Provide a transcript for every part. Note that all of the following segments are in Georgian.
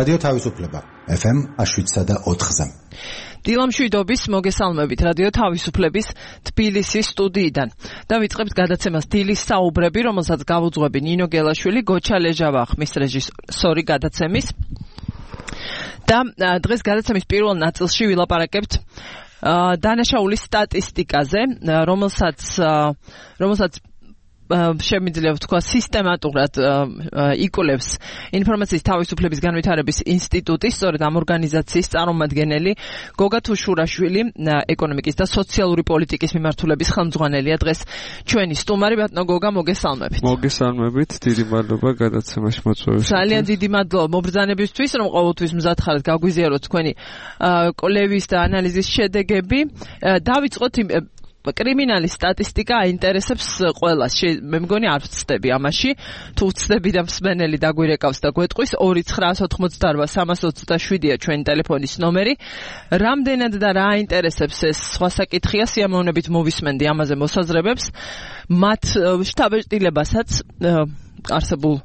რადიო თავისუფლება FM 107.4-ზე. დილამშვიდობის მოგესალმებით რადიო თავისუფლების თბილისის სტუდიიდან. და ვიწყებთ გადაცემას დილის საუბრები, რომელსაც გავუძღვები ნინო გელაშვილი, გოჩა ლეჟავა ხმის რეჟისორი გადაცემის. და დღეს გადაცემის პირველ ნაწილში ვილაპარაკებთ დანაშაულის სტატისტიკაზე, რომელსაც შემიძლია ვთქვა სისტემატურად იკვლევს ინფორმაციის თავისუფლების განვითარების ინსტიტუტი, სწორედ ამ ორგანიზაციის წარმომადგენელი გოგა თუშურაშვილი, ეკონომიკის და სოციალური პოლიტიკის მიმართულების ხელმძღვანელია. დღეს ჩვენი სტუმარი. ბატონო გოგა, მოგესალმებით. მოგესალმებით, დიდი მადლობა გადაცემაში მოწვევისთვის. ძალიან დიდი მადლობა მობრძანებისთვის, რომ ყოველთვის მზად ხართ გაგვიზიაროთ თქვენი კვლევის და ანალიზის შედეგები. დავიწყოთ კრიმინალის სტატისტიკა აინტერესებს ყველას. მე მგონი არ ვცდები ამაში. თუ ვცდები და მსმენელი დაგვირეკავს და გვეტყვის 2988327-ია ჩვენი ტელეფონის ნომერი. რამდენად და რა აინტერესებს ეს სხვა საკითხია, სიამოვნებით მოვისმენდი ამაზე მოსაზრებებს. მათ შთაბეჭდილებასაც არსებულ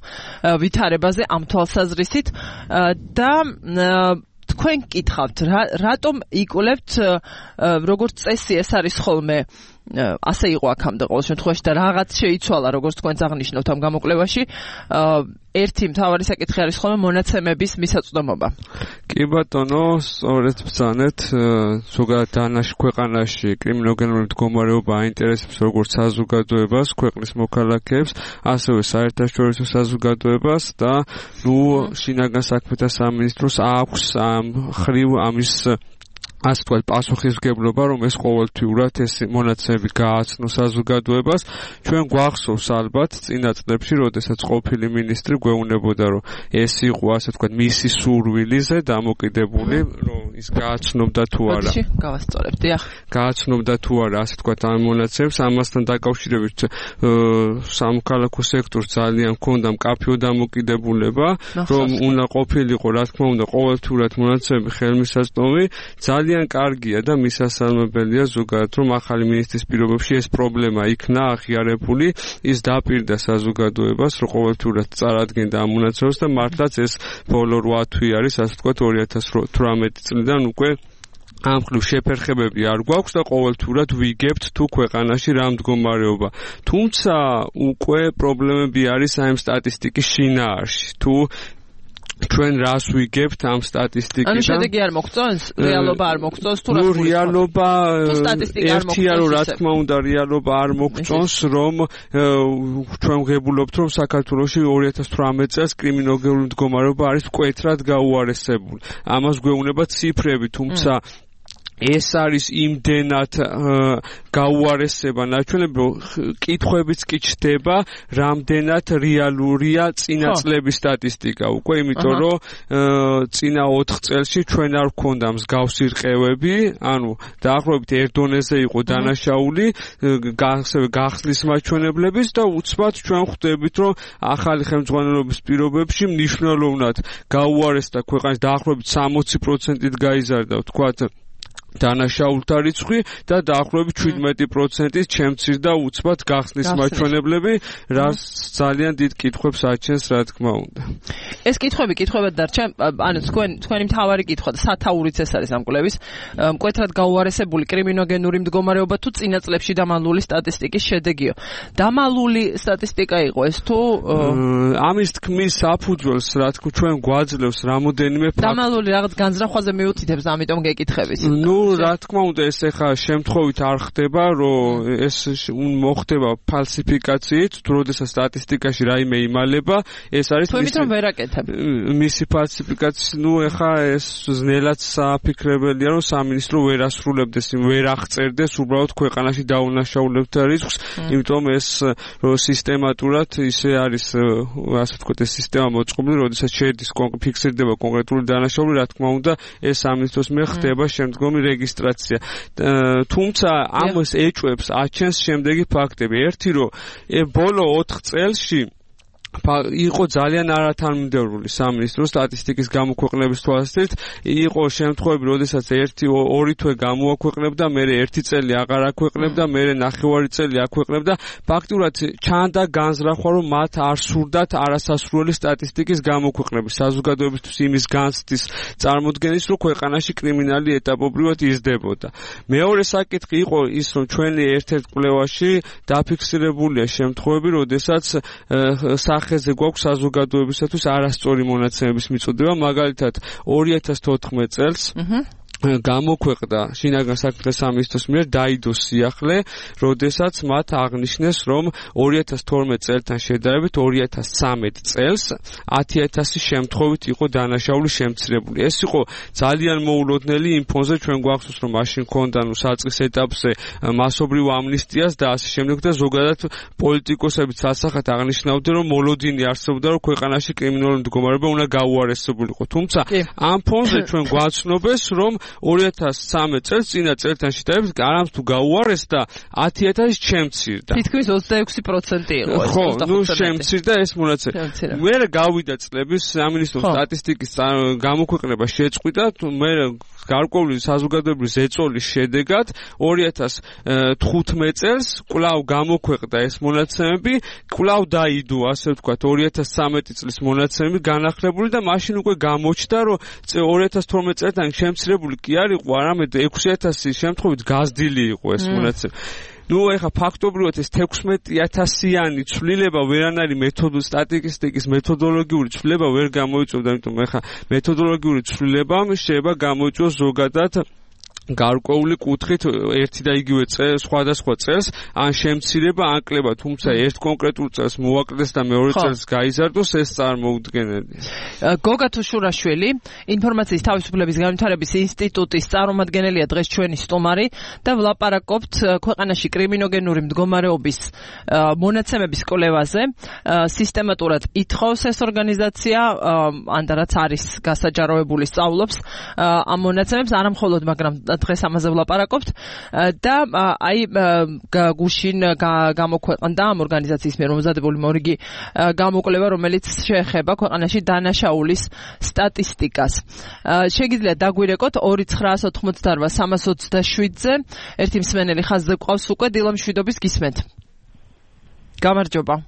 ვითარებაზე ამ თვალსაზრისით და თქვენ გკითხავთ, რატომ იკვლევთ, როგორც წესი ეს არის ხოლმე, ასე იყო აქამდე ყოველ შემთხვევაში და რაღაც შეიცვალა, როგორც თქვენც აღნიშნავთ ამ გამოკვლევაში. ერთი მთავარი საკითხი არის ხოლმე მონაცემების მისაწვდომობა. კი ბატონო, სწორედ ბრძანეთ, ზოგადად ქვეყანაში კრიმინოგენური მდგომარეობა აინტერესებს როგორც საზოგადოებას, ქვეყნის მოქალაქეებს, ასევე საერთაშორისო საზოგადოებას და შინაგან საქმეთა სამინისტროს აქვს ამ ხრივ ამის ასე ვთქვათ, პასუხისმგებლობა, რომ ეს ყოველთვიურად ეს მონაცემები გააცნოს საზოგადოებას. ჩვენ გვახსოვს ალბათ წინა წლებში, როდესაც ყოფილი მინისტრი გვეუბნებოდა, რომ ეს იყო ასე ვთქვათ მისი სურვილიზე დამოკიდებული, რომ ის გააცნობდა თუ არა. გავასწორებთ, დიახ. გააცნობდა თუ არა, ასე ვთქვათ, ამ მონაცემებს. ამასთან დაკავშირებით სამოქალაქო სექტორს ძალიან ჰქონდა მკაფიო დამოკიდებულება, რომ უნდა ყოფილიყო, რა თქმა უნდა, ყოველთვიურად მონაცემები ხელმისაწვდომი. ძალიან კარგია და მისასალმებელია ზოგადად, რომ ახალი მინისტრის პირობებში ეს პრობლემა იქნა აღიარებული, ის დაპირდა საზოგადოებას, რომ ყოველთვიურად წარადგენდა ამ მონაცემებს და მართლაც ეს ბოლო 8 თვი არის, ასე ვთქვათ, 2018 წლიდან უკვე ამ ხრივ შეფერხებები არ გვაქვს და ყოველთვიურად ვიგებთ თუ ქვეყანაში რა მდგომარეობა. თუმცა უკვე პრობლემები არის ამ სტატისტიკის შინაარსში. თუ ჩვენ რას ვიგებთ ამ სტატისტიკიდან? ანუ შედეგი არ მოგწონს? რეალობა არ მოგწონს? თუ რას რეალობა ერთია, რომ რა თქმა უნდა რეალობა არ მოგწონს, რომ ჩვენ ვღებულობთ, რომ საქართველოში 2018 წელს კრიმინოგენური მდგომარეობა არის მკვეთრად გაუარესებული. ამას გვეუბნება ციფრები, თუმცა ეს არის იმდენად გაუარესება ნაჩვენები, რომ კითხვებიც კი ჩდება, რამდენად რეალურია წინა წლების სტატისტიკა. უკვე იმიტომ, რომ წინა 4 წელში ჩვენ არ გვქონდა მსგავსი რყევები, ანუ დაახლოებით ერთ დონეზე იყო დანაშაული, გახსნის მაჩვენებლების და უცბად ჩვენ ხვდებით, რომ ახალი ხელმძღვანელობის პირობებში მნიშვნელოვნად გაუარესდა ქვეყანის დაახლოებით 60%-ით გაიზარდა, ვთქვათ, დანაშაულთა რიცხვი და დაახლოებით 17%-ით შემცირდა უცბად გახსნის მაჩვენებლები, რაც ძალიან დიდ კითხვებს აჩენს, რა თქმა უნდა. ეს კითხვებად დარჩა, ანუ თქვენი მთავარი კითხვა და სათაურიც ეს არის ამ კვლევის, მკვეთრად გაუარესებული კრიმინოგენური მდგომარეობა თუ წინა წლებში დამალული სტატისტიკის შედეგიო. დამალული სტატისტიკა იყო ეს თუ ამის თქმის საფუძველს, რა თქმა ჩვენ გვაძლევს რამოდენიმე ფაქტი. დამალული რაღაც განზრახვაზე მიუთითებს, ამიტომ გეკითხებით. რა თქმა უნდა, ეს ახლა შემთხვევით არ ხდება, რომ ეს მოხდება ფალსიფიკაციით, თუ როდესაც სტატისტიკაში რაიმე იმალება, ეს არის თუმცა ვერ აკეთებ. მისი ფალსიფიკაცია, ახლა ეს ძნელად საფიქრებელია, რომ სამინისტრო ვერ ასრულებდეს, ვერ აღწერდეს უბრალოდ ქვეყანაში დაუნაშაულებთა რისკს, იმიტომ ეს სისტემატურად ისე არის, ასე ვთქვათ, ეს სისტემა მოწყობილი, როდესაც შედის ფიქსირდება კონკრეტული დანაშაული, რა თქმა უნდა, ეს სამინისტროს მიერ ხდება შემდგომი რეგისტრაცია. თუმცა ამას ეჭვებს აჩენს შემდეგი ფაქტები. ერთი, რომ ბოლო 4 წელში იყო ძალიან არათანმიმდევრული სამინისტრო სტატისტიკის გამოქვეყნების თვალსაზრისით, იყო შემთხვევები, როდესაც 1-2 თვე გამოაქვეყნებდა, მერე 1 წელი აღარ აქვეყნებდა, მერე 9 წელი აქვეყნებდა. ფაქტურად ჩანდა განზრახვა, რომ მათ არ სურდათ არასასრული სტატისტიკის გამოქვეყნების, საზოგადოებისთვის იმის განცდის წარმოდგენის, რომ ქვეყანაში კრიმინალი ეტაპობრივად იზრდებოდა. მეორე საკითხი იყო ის, რომ ჩვენი ერთ-ერთ კვლევაში დაფიქსირებულია შემთხვევები, როდესაც სახეზე გვაქვს საზოგადოებისათვის არასწორი მონაცემების მიწოდება, მაგალითად 2014 წელს გამოქვეყნდა შინაგან საქმეთა სამინისტროს მიერ დაიდოს სიახლე, როდესაც მათ აღნიშნეს, რომ 2012 წელთან შედარებით 2013 წელს 10,000 შემთხვევით იყო დანაშაული შემცირებული. ეს იყო ძალიან მოულოდნელი იმ ფონზე, ჩვენ გვახსოვს, რომ მაშინ ქონდა საწყის ეტაპზე მასობრივ ამნისტიას და ასე შემდეგ და ზოგადად პოლიტიკოსებიც ასახათ აღნიშნავდნენ, რომ მოლოდინი არსებობდა, რომ ქვეყანაში კრიმინალური მდგომარეობა უნდა გაუარესებულიყო. თუმცა ამ ფონზე ჩვენ გვაცნობეს, რომ 2013 წელს წინა წელთან შედარებით არამც თუ გაუარესდა 10,000 შემცირდა. თითქმის 26% იყო ეს. ხო, შემცირდა ეს მონაცემები. მე გავიდა წლების სამინისტრო სტატისტიკის გამოქვეყნება შეწყვიტა, მე გარკვეული საზოგადოებრივი ზეწოლის შედეგად 2015 წელს კვლავ გამოქვეყნდა ეს მონაცემები, კვლავ დაიდო, ასე ვთქვათ, 2013 წლის მონაცემები განახლებული და მაშინ უკვე გამოჩნდა, რომ 2012 წელთან შემცირებული კი არ იყო, არამედ 6,000 შემთხვევით გაზრდილი იყო ეს მონაცემები. ეხა ფაქტობრივად ეს 16,000-იანი ცვლილება ვერანაირი სტატისტიკის მეთოდოლოგიური ცვლილება ვერ გამოიწვევდა, იმიტომ ეხა მეთოდოლოგიური ცვლილება შეიძლება გამოიწვიოს ზოგადად გარკვეული კუთხით ერთი და იგივე სხვადასხვა წელს ან შემცირება ან კლება, თუმცა ერთ კონკრეტულ წელს მოაკლდეს და მეორე წელს გაიზარდოს, ეს წარმოუდგენელია. გოგა თუშურაშვილი, ინფორმაციის თავისუფლების განვითარების ინსტიტუტის წარმომადგენელია დღეს ჩვენი სტუმარი და ვლაპარაკობთ ქვეყანაში კრიმინოგენური მდგომარეობის მონაცემების კვლევაზე. სისტემატურად ითხოვს ეს ორგანიზაცია, ან რაც არის გასაჯაროებული, სწავლობს ამ მონაცემებს, არა მხოლოდ, მაგრამ დღეს ამაზე ვლაპარაკობთ და აი გუშინ გამოქვეყნდა ამ ორგანიზაციის მიერ მომზადებული მორიგი გამოკვლევა, რომელიც შეეხება ქვეყანაში დანაშაულის სტატისტიკას. შეგიძლიათ დაგვირეკოთ 2,988,327-ზე ერთი მსმენელი ხაზზე გვყავს უკვე, დილამშვიდობის გისმენთ. გამარჯობა.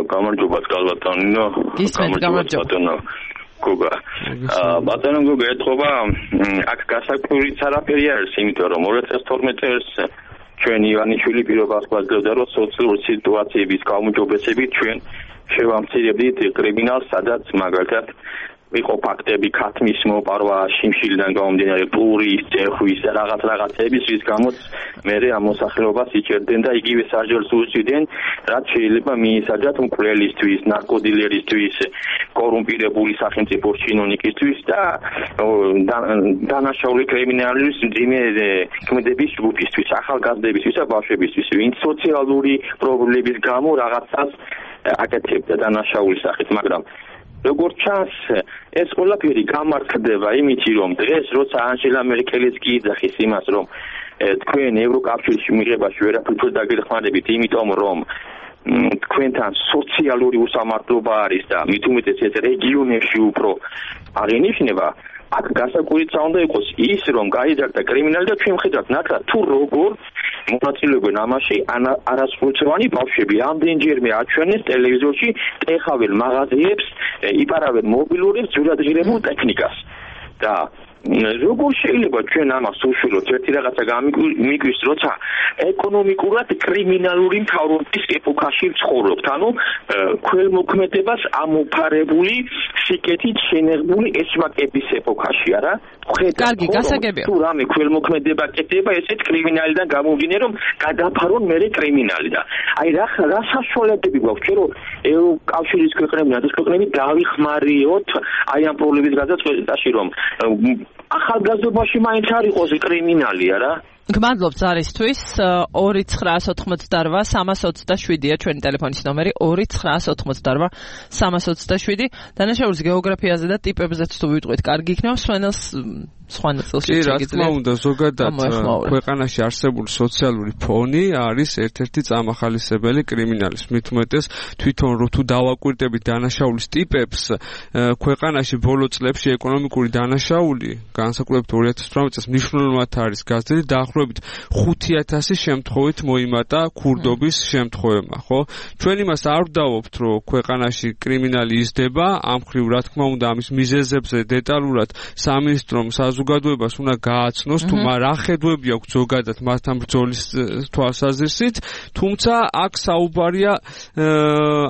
გამარჯობა კალბატონო. გისმენთ, გამარჯობა. გოგა. ბატონო გოგა, ეთქობა აქ გასაკვირიც არაფერი არის, იმიტომ რომ 2012 წელს ჩვენ ივანიშვილი პირობას გვაძლევდა, რომ სოციალური სიტუაციების გაუმჯობესებით ჩვენ შევამცირებდით კრიმინალს, სადაც მაგალითად იყო ფაქტები ქათმის მოპარვა, შიმშილიდან გამომდინარე პურის, წერხვის და რაღაცების, რის გამოც მერე ამ მოსახლეობას იჭერდნენ და იგივე სასჯელს უსვიდნენ, რაც შეიძლება მიისაჯათ მკვლელისთვის, ნარკოდილერისთვის, კორუმპირებული სახელმწიფო ჩინოვნიკისთვის და დანაშაული კრიმინალის მძიმე ქმედების ჯგუფისთვის, ახალგაზრდებისთვის და ბავშვებისთვის, ვინც სოციალური პრობლემების გამო რაღაცას აკეთებდა დანაშაულის სახით, მაგრამ როგორც ჩანს, ეს ყველაფერი გამართლდება იმით, რომ დღეს როცა ანჟელა მერკელიც გიძახის იმას, რომ თქვენ ევროკავშირში მიღებაში ვერაფერ დაგეხმარებით, იმიტომ რომ თქვენთან სოციალური უსამართლობა არის და მით უმეტეს ეს რეგიონებში უფრო აღინიშნება, აქ გასაკვირიც უნდა იყოს ის, რომ გაიზარდა კრიმინალი და ჩვენ ვხედავთ ნათლად თუ როგორ მონაწილეობენ ამაში არასრულწლოვანი ბავშვები. ამდენჯერმე აჩვენეს ტელევიზორში, ეხავენ მაღაზიებს, იპარავენ მობილურებს, ძვირადღირებულ ტექნიკას. და როგორ შეიძლება ჩვენ ამას უშვილოთ, ერთი რაღაცა გამიგვის, როცა ეკონომიკურად კრიმინალური მთავრობის ეპოქაში ვცხოვრობთ, ანუ ქველმოქმედებას ამოფარებული სიკეთით შენեղებული ესვაკების ეპოქაში, არა? კარგი, გასაგებია. თუ რამე ქველმოქმედება კეთდება, ესეც კრიმინალიდან გამომდინე, რომ გადაფარონ მერე კრიმინალი და აი რა საშუალებები გვაქვს, რომ ევროკავშირის ქვეყნები, ნატოს ქვეყნები დავიხმარიოთ აი ამ პრობლემის გადაწყვეტაში, რომ ახალგაზრდობაში მაინც არ იყოს კრიმინალი, არა? გმადლობთ ზარისთვის. 2,988,327-ია ჩვენი ტელეფონის ნომერი, 2,988,327. დანაშაულის გეოგრაფიაზე და ტიპებზეც თუ ვიტყვით, კარგი იქნება მსმენელს სხვა ნაწილში კი, რა თქმა უნდა, ზოგადად ქვეყანაში არსებული სოციალური ფონი არის ერთ-ერთი წამახალისებელი კრიმინალის. მით უმეტეს თვითონ თუ დავაკვირდებით დანაშაულის ტიპებს, ქვეყანაში ბოლო წლებში ეკონომიკური დანაშაული, განსაკუთრებით 2018 წელს მნიშვნელოვნად არის გაზრდილი, დაახლოებით 5,000 შემთხვევით მოიმატა ქურდობის შემთხვევებმა, ხო? ჩვენ იმას არ ვდავობთ, რომ ქვეყანაში კრიმინალი იზრდება, ამ მხრივ რა თქმა უნდა ამის მიზეზებზე დეტალურად სამინისტრომ საზოგადოებას უნდა გააცნოს, თუ რა ხედვები აქვს ზოგადად მასთან ბრძოლის თვალსაზრისით, თუმცა აქ საუბარია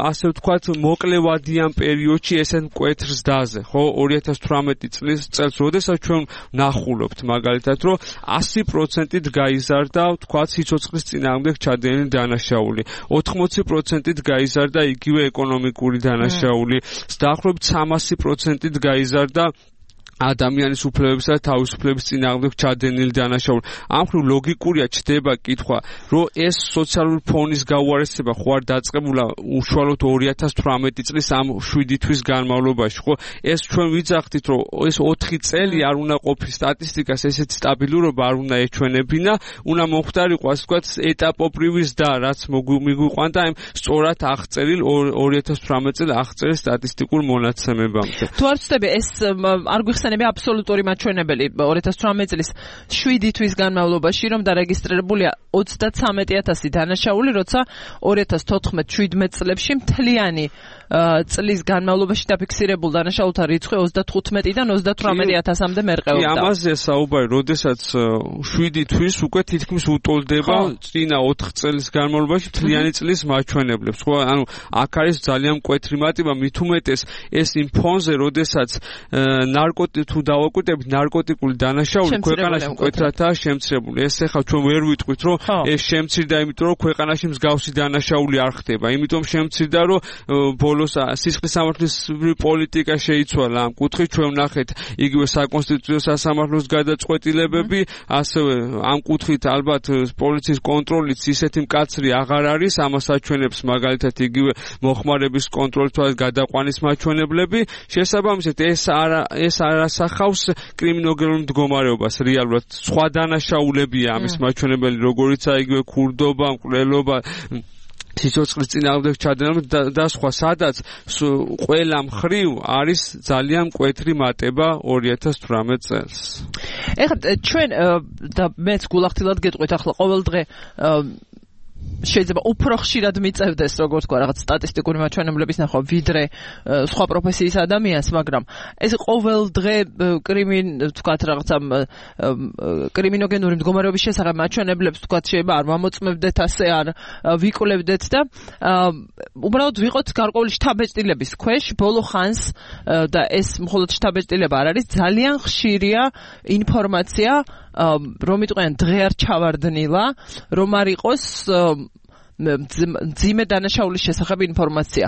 ასე ვთქვათ მოკლევადიან პერიოდში ესეთ მკვეთრ ზრდაზე, ხო? 2018 წელს როდესაც ჩვენ ნახულობთ მაგალითად, რომ 100%-ით გაიზარდა, ვთქვათ, სიცოცხლის წინააღმდეგ ჩადენილი დანაშაული, 80%-ით გაიზარდა იგივე ეკონომიკური დანაშაული, დაახლოებით 300%-ით გაიზარდა ადამიანის უფლებებისა და თავისუფლების წინააღმდეგ ჩადენილი დანაშაული. ამ მხრივ ლოგიკურია ჩდება კითხვა, რომ ეს სოციალური ფონის გაუარესება ხო არ დაწყებულა უშუალოდ 2018 წლის ამ 7 თვის განმავლობაში, ხო? ეს ჩვენ ვიძახდით, რომ ეს 4 წელი არ უნდა ყოფილიყო სტატისტიკას ესეთი სტაბილურობა არ უნდა ეჩვენებინა, უნდა მოხდარიყო ასე ვთქვათ ეტაპობრივი ზრდა, რაც მიგვიყვანდა იმ სწორად აღწერილ 2018 წელს აღწერილ სტატისტიკურ მონაცემებამდე. თუ არ ვწდები ეს არ გვიხსენებია აბსოლუტური მაჩვენებელი 2018 წლის 7 თვის განმავლობაში რომ დარეგისტრირებულია 33,000 დანაშაული, როცა 2014-17 წლებში მთლიანი წლის განმავლობაში დაფიქსირებულ დანაშაულთა რიცხვი 35-დან 38,000-მდე მერყეობდა. ამაზე საუბარი, როდესაც 7 თვის უკვე თითქმის უტოლდება წინა 4 წლის განმავლობაში მთლიანი წლის მაჩვენებლებს. ხო, ანუ აქ არის ძალიან მკვეთრი მატება, მით უმეტეს ეს იმ ფონზე, როდესაც თუ დავაკვირდებით ნარკოტიკული დანაშაული ქვეყანაში მკვეთრადაა შემცირებული. ეს ახლა ჩვენ ვერ ვიტყვით, რომ ეს შემცირდა, იმიტომ რომ ქვეყანაში მსგავსი დანაშაული არ ხდება. იმიტომ შემცირდა, რომ ბოლოს სისხლის სამართლისმცემელი პოლიტიკა შეიცვალა ამ კუთხით. ჩვენ ვნახეთ იგივე საკონსტიტუციო სასამართლოს გადაწყვეტილებები, ასევე ამ კუთხით ალბათ პოლიციის კონტროლიც ისეთი მკაცრი აღარ არის, ამას აჩვენებს მაგალითად იგივე მოხმარების კონტროლის გადაყვანის მაჩვენებლები. შესაბამისად ეს არასახავს კრიმინოგენურ მდგომარეობას რეალურად. სხვა დანაშაულებია ამის მაჩვენებელი, როგორიცაა იგივე ქურდობა, მკვლელობა, სიცოცხლის წინააღმდეგ ჩადენა და სხვა, სადაც ყველა მხრივ არის ძალიან მკვეთრი მატება 2018 წელს. ეხლა ჩვენ და მეც გულახდილად გეტყვით ახლა ყოველ დღე შეიძლება უფრო ხშირად მიწევდეს, როგორც თქვა, რაღაც სტატისტიკური მაჩვენებლების ნახვა, ვიდრე სხვა პროფესიის ადამიანს, მაგრამ ეს ყოველ დღე თქვა რაღაცა კრიმინოგენური მდგომარეობის შესახებ მაჩვენებლებს თქვა შეიძლება არ მომოწმებდეთ, ასე არ ვიკვლევდეთ და უბრალოდ ვიყოთ გარკვეული შთაბეჭდილების ქვეშ ბოლო ხანს და ეს მხოლოდ შთაბეჭდილება არ არის, ძალიან ხშირია ინფორმაცია რომ იტყვიან დღე არ ჩავარდნილა, რომ არ იყოს ძიმე დანაშაულის შესახებ ინფორმაცია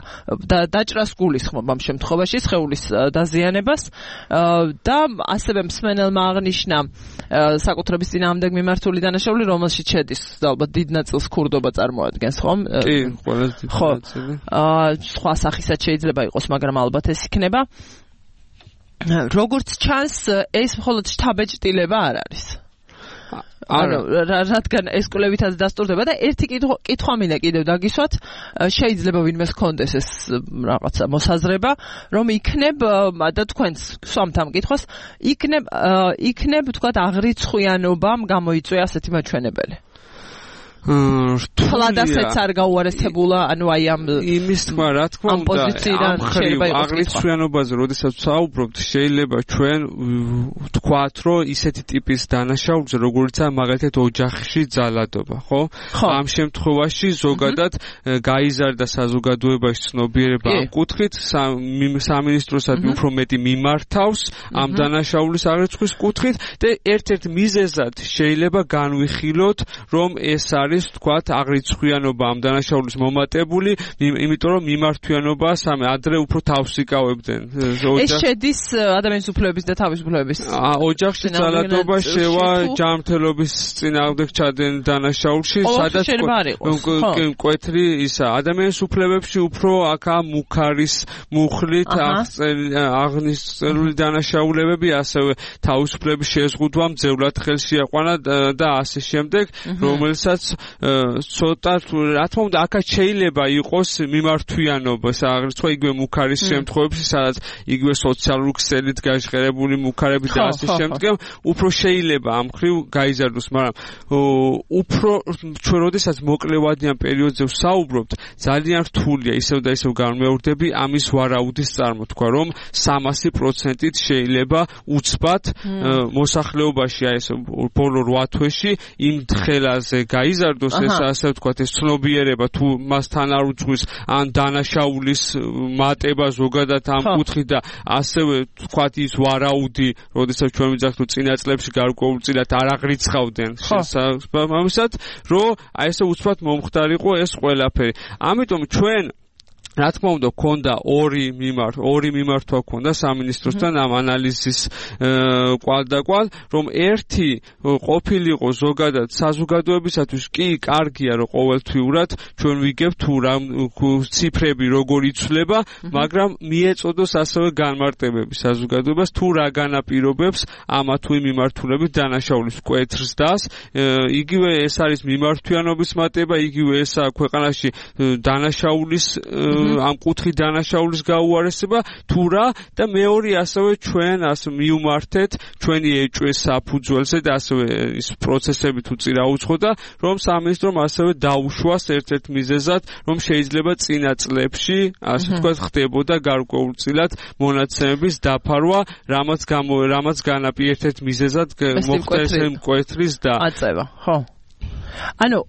და დაჭრას გულისხმობ ამ შემთხვევაში სხეულის დაზიანებას და ასევე მსმენელმა აღნიშნა საკუთრების წინააღმდეგ მიმართული დანაშაული, რომელშიც შედის ალბათ დიდ ნაწილს ქურდობა წარმოადგენს, ხომ? კი, ყველაზე დიდი ნაწილი. სხვა სახისაც შეიძლება იყოს, მაგრამ ალბათ ეს იქნება. როგორც ჩანს, ეს მხოლოდ შთაბეჭდილება არ არის. ანუ რადგან ეს კვლევითაც დასტურდება და ერთი კითხვა მინდა კიდევ დაგისვათ, შეიძლება ვინმეს ჰქონდეს ეს რაღაცა მოსაზრება, რომ იქნებ და თქვენს სვამთ ამ კითხვას, იქნებ თქვათ აღრიცხვიანობამ გამოიწვია ასეთი მაჩვენებელი. თლადასეც არ გაუარესებულა, ანუ აი ამ იმის თქმა, რა თქმა უნდა, ამ შეიძლება იყოს აღრიცხვიანობაზე, როდესაც ვსაუბრობთ, შეიძლება ჩვენ ვთქვათ, რომ ისეთი ტიპის დანაშაულზე, როგორიცაა მაგალითად ოჯახში ძალადობა, ხო? ამ შემთხვევაში ზოგადად გაიზარდა საზოგადოებაში ცნობიერება ამ კუთხით, სამინისტროსაც უფრო მეტი მიმართავს ამ დანაშაულის აღრიცხვის კუთხით და ერთ-ერთ მიზეზად შეიძლება განვიხილოთ, რომ ეს არის არის თქვათ აღრიცხვიანობა ამ დანაშაულის მომატებული, იმიტომ რომ მიმართვიანობა ადრე უფრო თავს იკავებდნენ. ეს შედის ადამიანის უფლებების და თავისუფლების ოჯახში ძალადობა შევა ჯანმრთელობის წინააღმდეგ ჩადნენ დანაშაულში, სადაც მკვეთრი ისა ადამიანის უფლებებში უფრო აქა მუქარის მუხლით აღნიშნული დანაშაულებები, ასევე თავისუფლების შეზღუდვა მძევლად ხელში აყვანა და ასე შემდეგ, რომელსაც ცოტა რა თქმა უნდა აქაც შეიძლება იყოს მიმართვიანობა, აღრიცხვა იგივე მუქარის შემთხვევებში, სადაც იგივე სოციალური ქსელით გაჟღერებული მუქარები და ასე შემდეგ, უფრო შეიძლება ამ ხრივ გაიზარდოს, მაგრამ უფრო ჩვენ როდესაც მოკლევადიან პერიოდზე ვსაუბრობთ, ძალიან რთულია ისევ და ისევ განმეორდები ამის ვარაუდის წარმოთქვა, რომ 300%-ით შეიძლება უცბად მოსახლეობაში აი ეს ბოლო 8 თვეში იმ თხელაზე გაიზარდოს ეს ასე ვთქვათ ეს ცნობიერება თუ მასთან არ უძღვის ან დანაშაულის მატება ზოგადად ამ კუთხით და ასევე ვთქვათ ის ვარაუდი, როდესაც ჩვენ ვიძახთ რომ წინა წლებში გარკვეულწილად არ აღრიცხავდნენ შესაბამისად, რომ აი ესე უცბად მომხდარიყო ეს ყველაფერი. ამიტომ ჩვენ რა თქმა უნდა ქონდა ორი მიმართვა ქონდა სამინისტროსთან ამ ანალიზის კვალდაკვალ, რომ ერთი ყოფილიყო ზოგადად საზოგადოებისათვის კი კარგია რომ ყოველთვიურად ჩვენ ვიგებთ თუ რა ციფრები როგორ იცვლება, მაგრამ მიეწოდოს ასევე განმარტებები საზოგადოებას თუ რა განაპირობებს ამა თუ იმ მიმართულებით დანაშაულის მკვეთრს დას, იგივე ეს არის მიმართვიანობის მატება, იგივე ესაა ქვეყანაში დანაშაულის ამ კუთხით დანაშაულის გაუარესება თუ რა და მეორე ასევე ჩვენ ასე მიუმართეთ ჩვენი ეჭვეს საფუძველზე და ასევე ის პროცესები თუ წირაუძღოდა, რომ სამინისტრომ ასევე დაუშვას ერთ-ერთ მიზეზად, რომ შეიძლება წინა წლებში ასე ვთქვათ ხდებოდა გარკვეულწილად მონაცემების დაფარვა, რამაც განაპირობა ერთ-ერთ მიზეზად მოხდა ეს მკვეთრის და აწევა, ხო. ანუ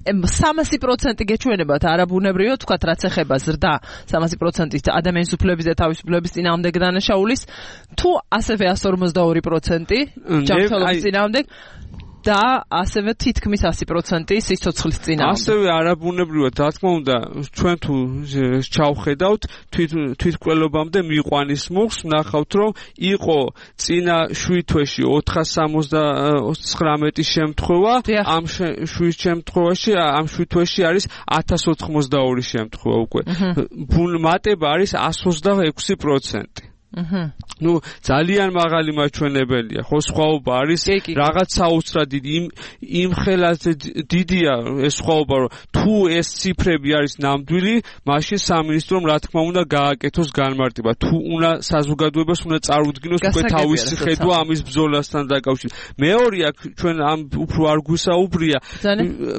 300% გეჩვენებათ არაბუნებრივია, თქვათ რაც ეხება ზრდა 300% ადამიანის უფლების და თავისუფლების წინააღმდეგ დანაშაულის, თუ ასევე 142% ჯანმრთელობის წინააღმდეგ და ასევე თითქმის 100% სიცოცხლის წინააღმდეგ. ასევე არაბუნებრივად, რა თქმა უნდა, ჩვენ თუ ჩავხედავთ თვითმკვლელობამდე მიყვანის მუხს, ვნახავთ, რომ იყო წინა 7 თვეში 419 შემთხვევა, ამ 7 შემთხვევაში, ამ 7 თვეში არის 1082 შემთხვევა უკვე. მატება არის 126%. ნუ ძალიან მაღალი მაჩვენებელია, ხო, სხვაობა არის რაღაც საოცრად დიდი იმ ხელაზე დიდია ეს სხვაობა, რომ თუ ეს ციფრები არის ნამდვილი, მაშინ სამინისტრომ რა თქმა უნდა გააკეთოს განმარტება, თუ უნდა საზოგადოებას უნდა წარუდგინოს უკვე თავისი ხედვა ამის ბრძოლასთან დაკავშირებით. მეორე აქ ჩვენ ამ უფრო არ გვისაუბრია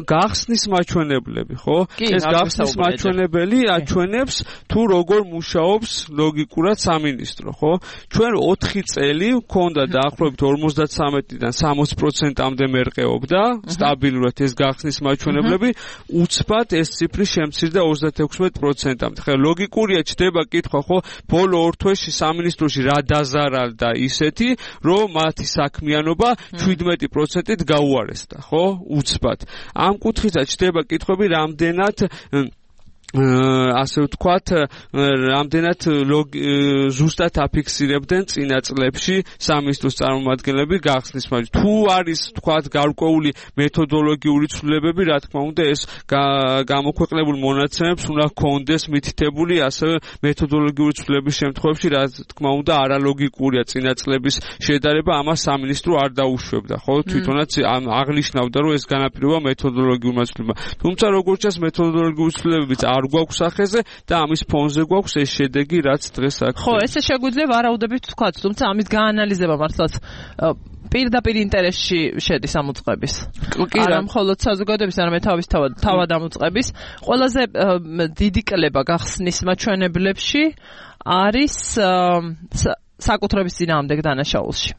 გახსნის მაჩვენებლები, ხო? ეს გახსნის მაჩვენებელი აჩვენებს თუ როგორ მუშაობს ლოგიკურად სამინისტრო, ხო? ჩვენ 4 წელი გვქონდა დაახლოებით 53-დან 60%-მდე მერყეობდა სტაბილურად ეს გახსნის მაჩვენებლები, უცბად ეს ციფრი შემცირდა 36%-მდე. ხა ლოგიკურია ჩდება კითხვა, ხო, ბოლო 2 თვეში სამინისტროში რა დაზარალდა ისეთი, რომ მათი საქმიანობა 17%-ით გაუარესდა, ხო, უცბად. ამ კუთხითაც ჩდება კითხვები, რამდენად ასე ვთქვათ, რამდენად ზუსტად აფიქსირებდნენ წინა წლებში სამინისტროს წარმომადგენლები გახსნის მაჩვენებლებს. თუ არის ვთქვათ გარკვეული მეთოდოლოგიური ცვლილებები, რა თქმა უნდა ეს გამოქვეყნებულ მონაცემებს უნდა ჰქონდეს მითითებული, ასევე მეთოდოლოგიური ცვლილების შემთხვევაში, რა თქმა უნდა არალოგიკურია წინა წლების შედარება, ამას სამინისტრო არ დაუშვებდა, ხო? თვითონაც აღნიშნავდა, რომ ეს განაპირობა მეთოდოლოგიურმა ცვლილებებმა. თუმცა როგორც ჩანს მეთოდოლოგიური ცვლილებებიც არ გვაქვს ახეზე და ამის ფონზე გვაქვს ეს შედეგი, რაც დღეს აქ. ხო, ესე შეგვიძლია ვარაუდებით ვთქვათ, თუმცა ამის გაანალიზება მართლაც პირდაპირ ინტერესში შედის ამ უწყების. არა მხოლოდ საზოგადოების, არამედ თავად ამ უწყების. ყველაზე დიდი კლება გახსნის მაჩვენებლებში არის საკუთრების წინააღმდეგ დანაშაულში.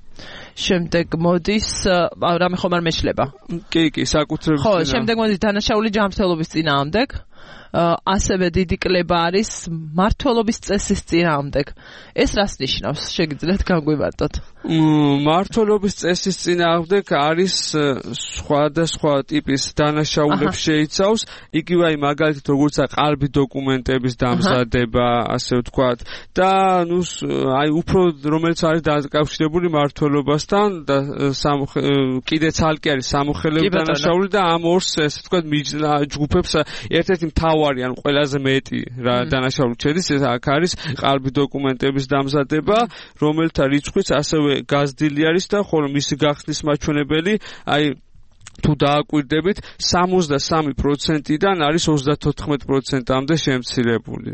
შემდეგ მოდის რამე ხომ არ მეშლება. კი, საკუთრების. ხო, შემდეგ მოდის დანაშაული ჯანმრთელობის წინააღმდეგ. ასევე დიდი კლება არის მმართველობის წესის წინააღმდეგ. ეს რას ნიშნავს? შეგიძლიათ განგვიმარტოთ? მმართველობის წესის წინააღმდეგ არის სხვადასხვა ტიპის დანაშაულებს შეიცავს, იგივე აი მაგალითად როგორც ყალბი დოკუმენტების დამზადება, ასე ვთქვათ, და აი უფრო რომელიც არის დაკავშირებული მმართველობასთან და კიდე ცალკე არის სამოხელეო დანაშაული და ამ ორს ესე ვთქვათ ჯგუფებს ერთ-ერთი მთავარი ან ყველაზე მეტი დანაშაული შედის, ეს აქ არის ყალბი დოკუმენტების დამზადება, რომელთა რიცხვიც ასევე გაზრდილი არის და ხოლო მისი გახსნის მაჩვენებელი აი თუ დააკვირდებით 63%-დან არის 34%-მდე შემცირებული.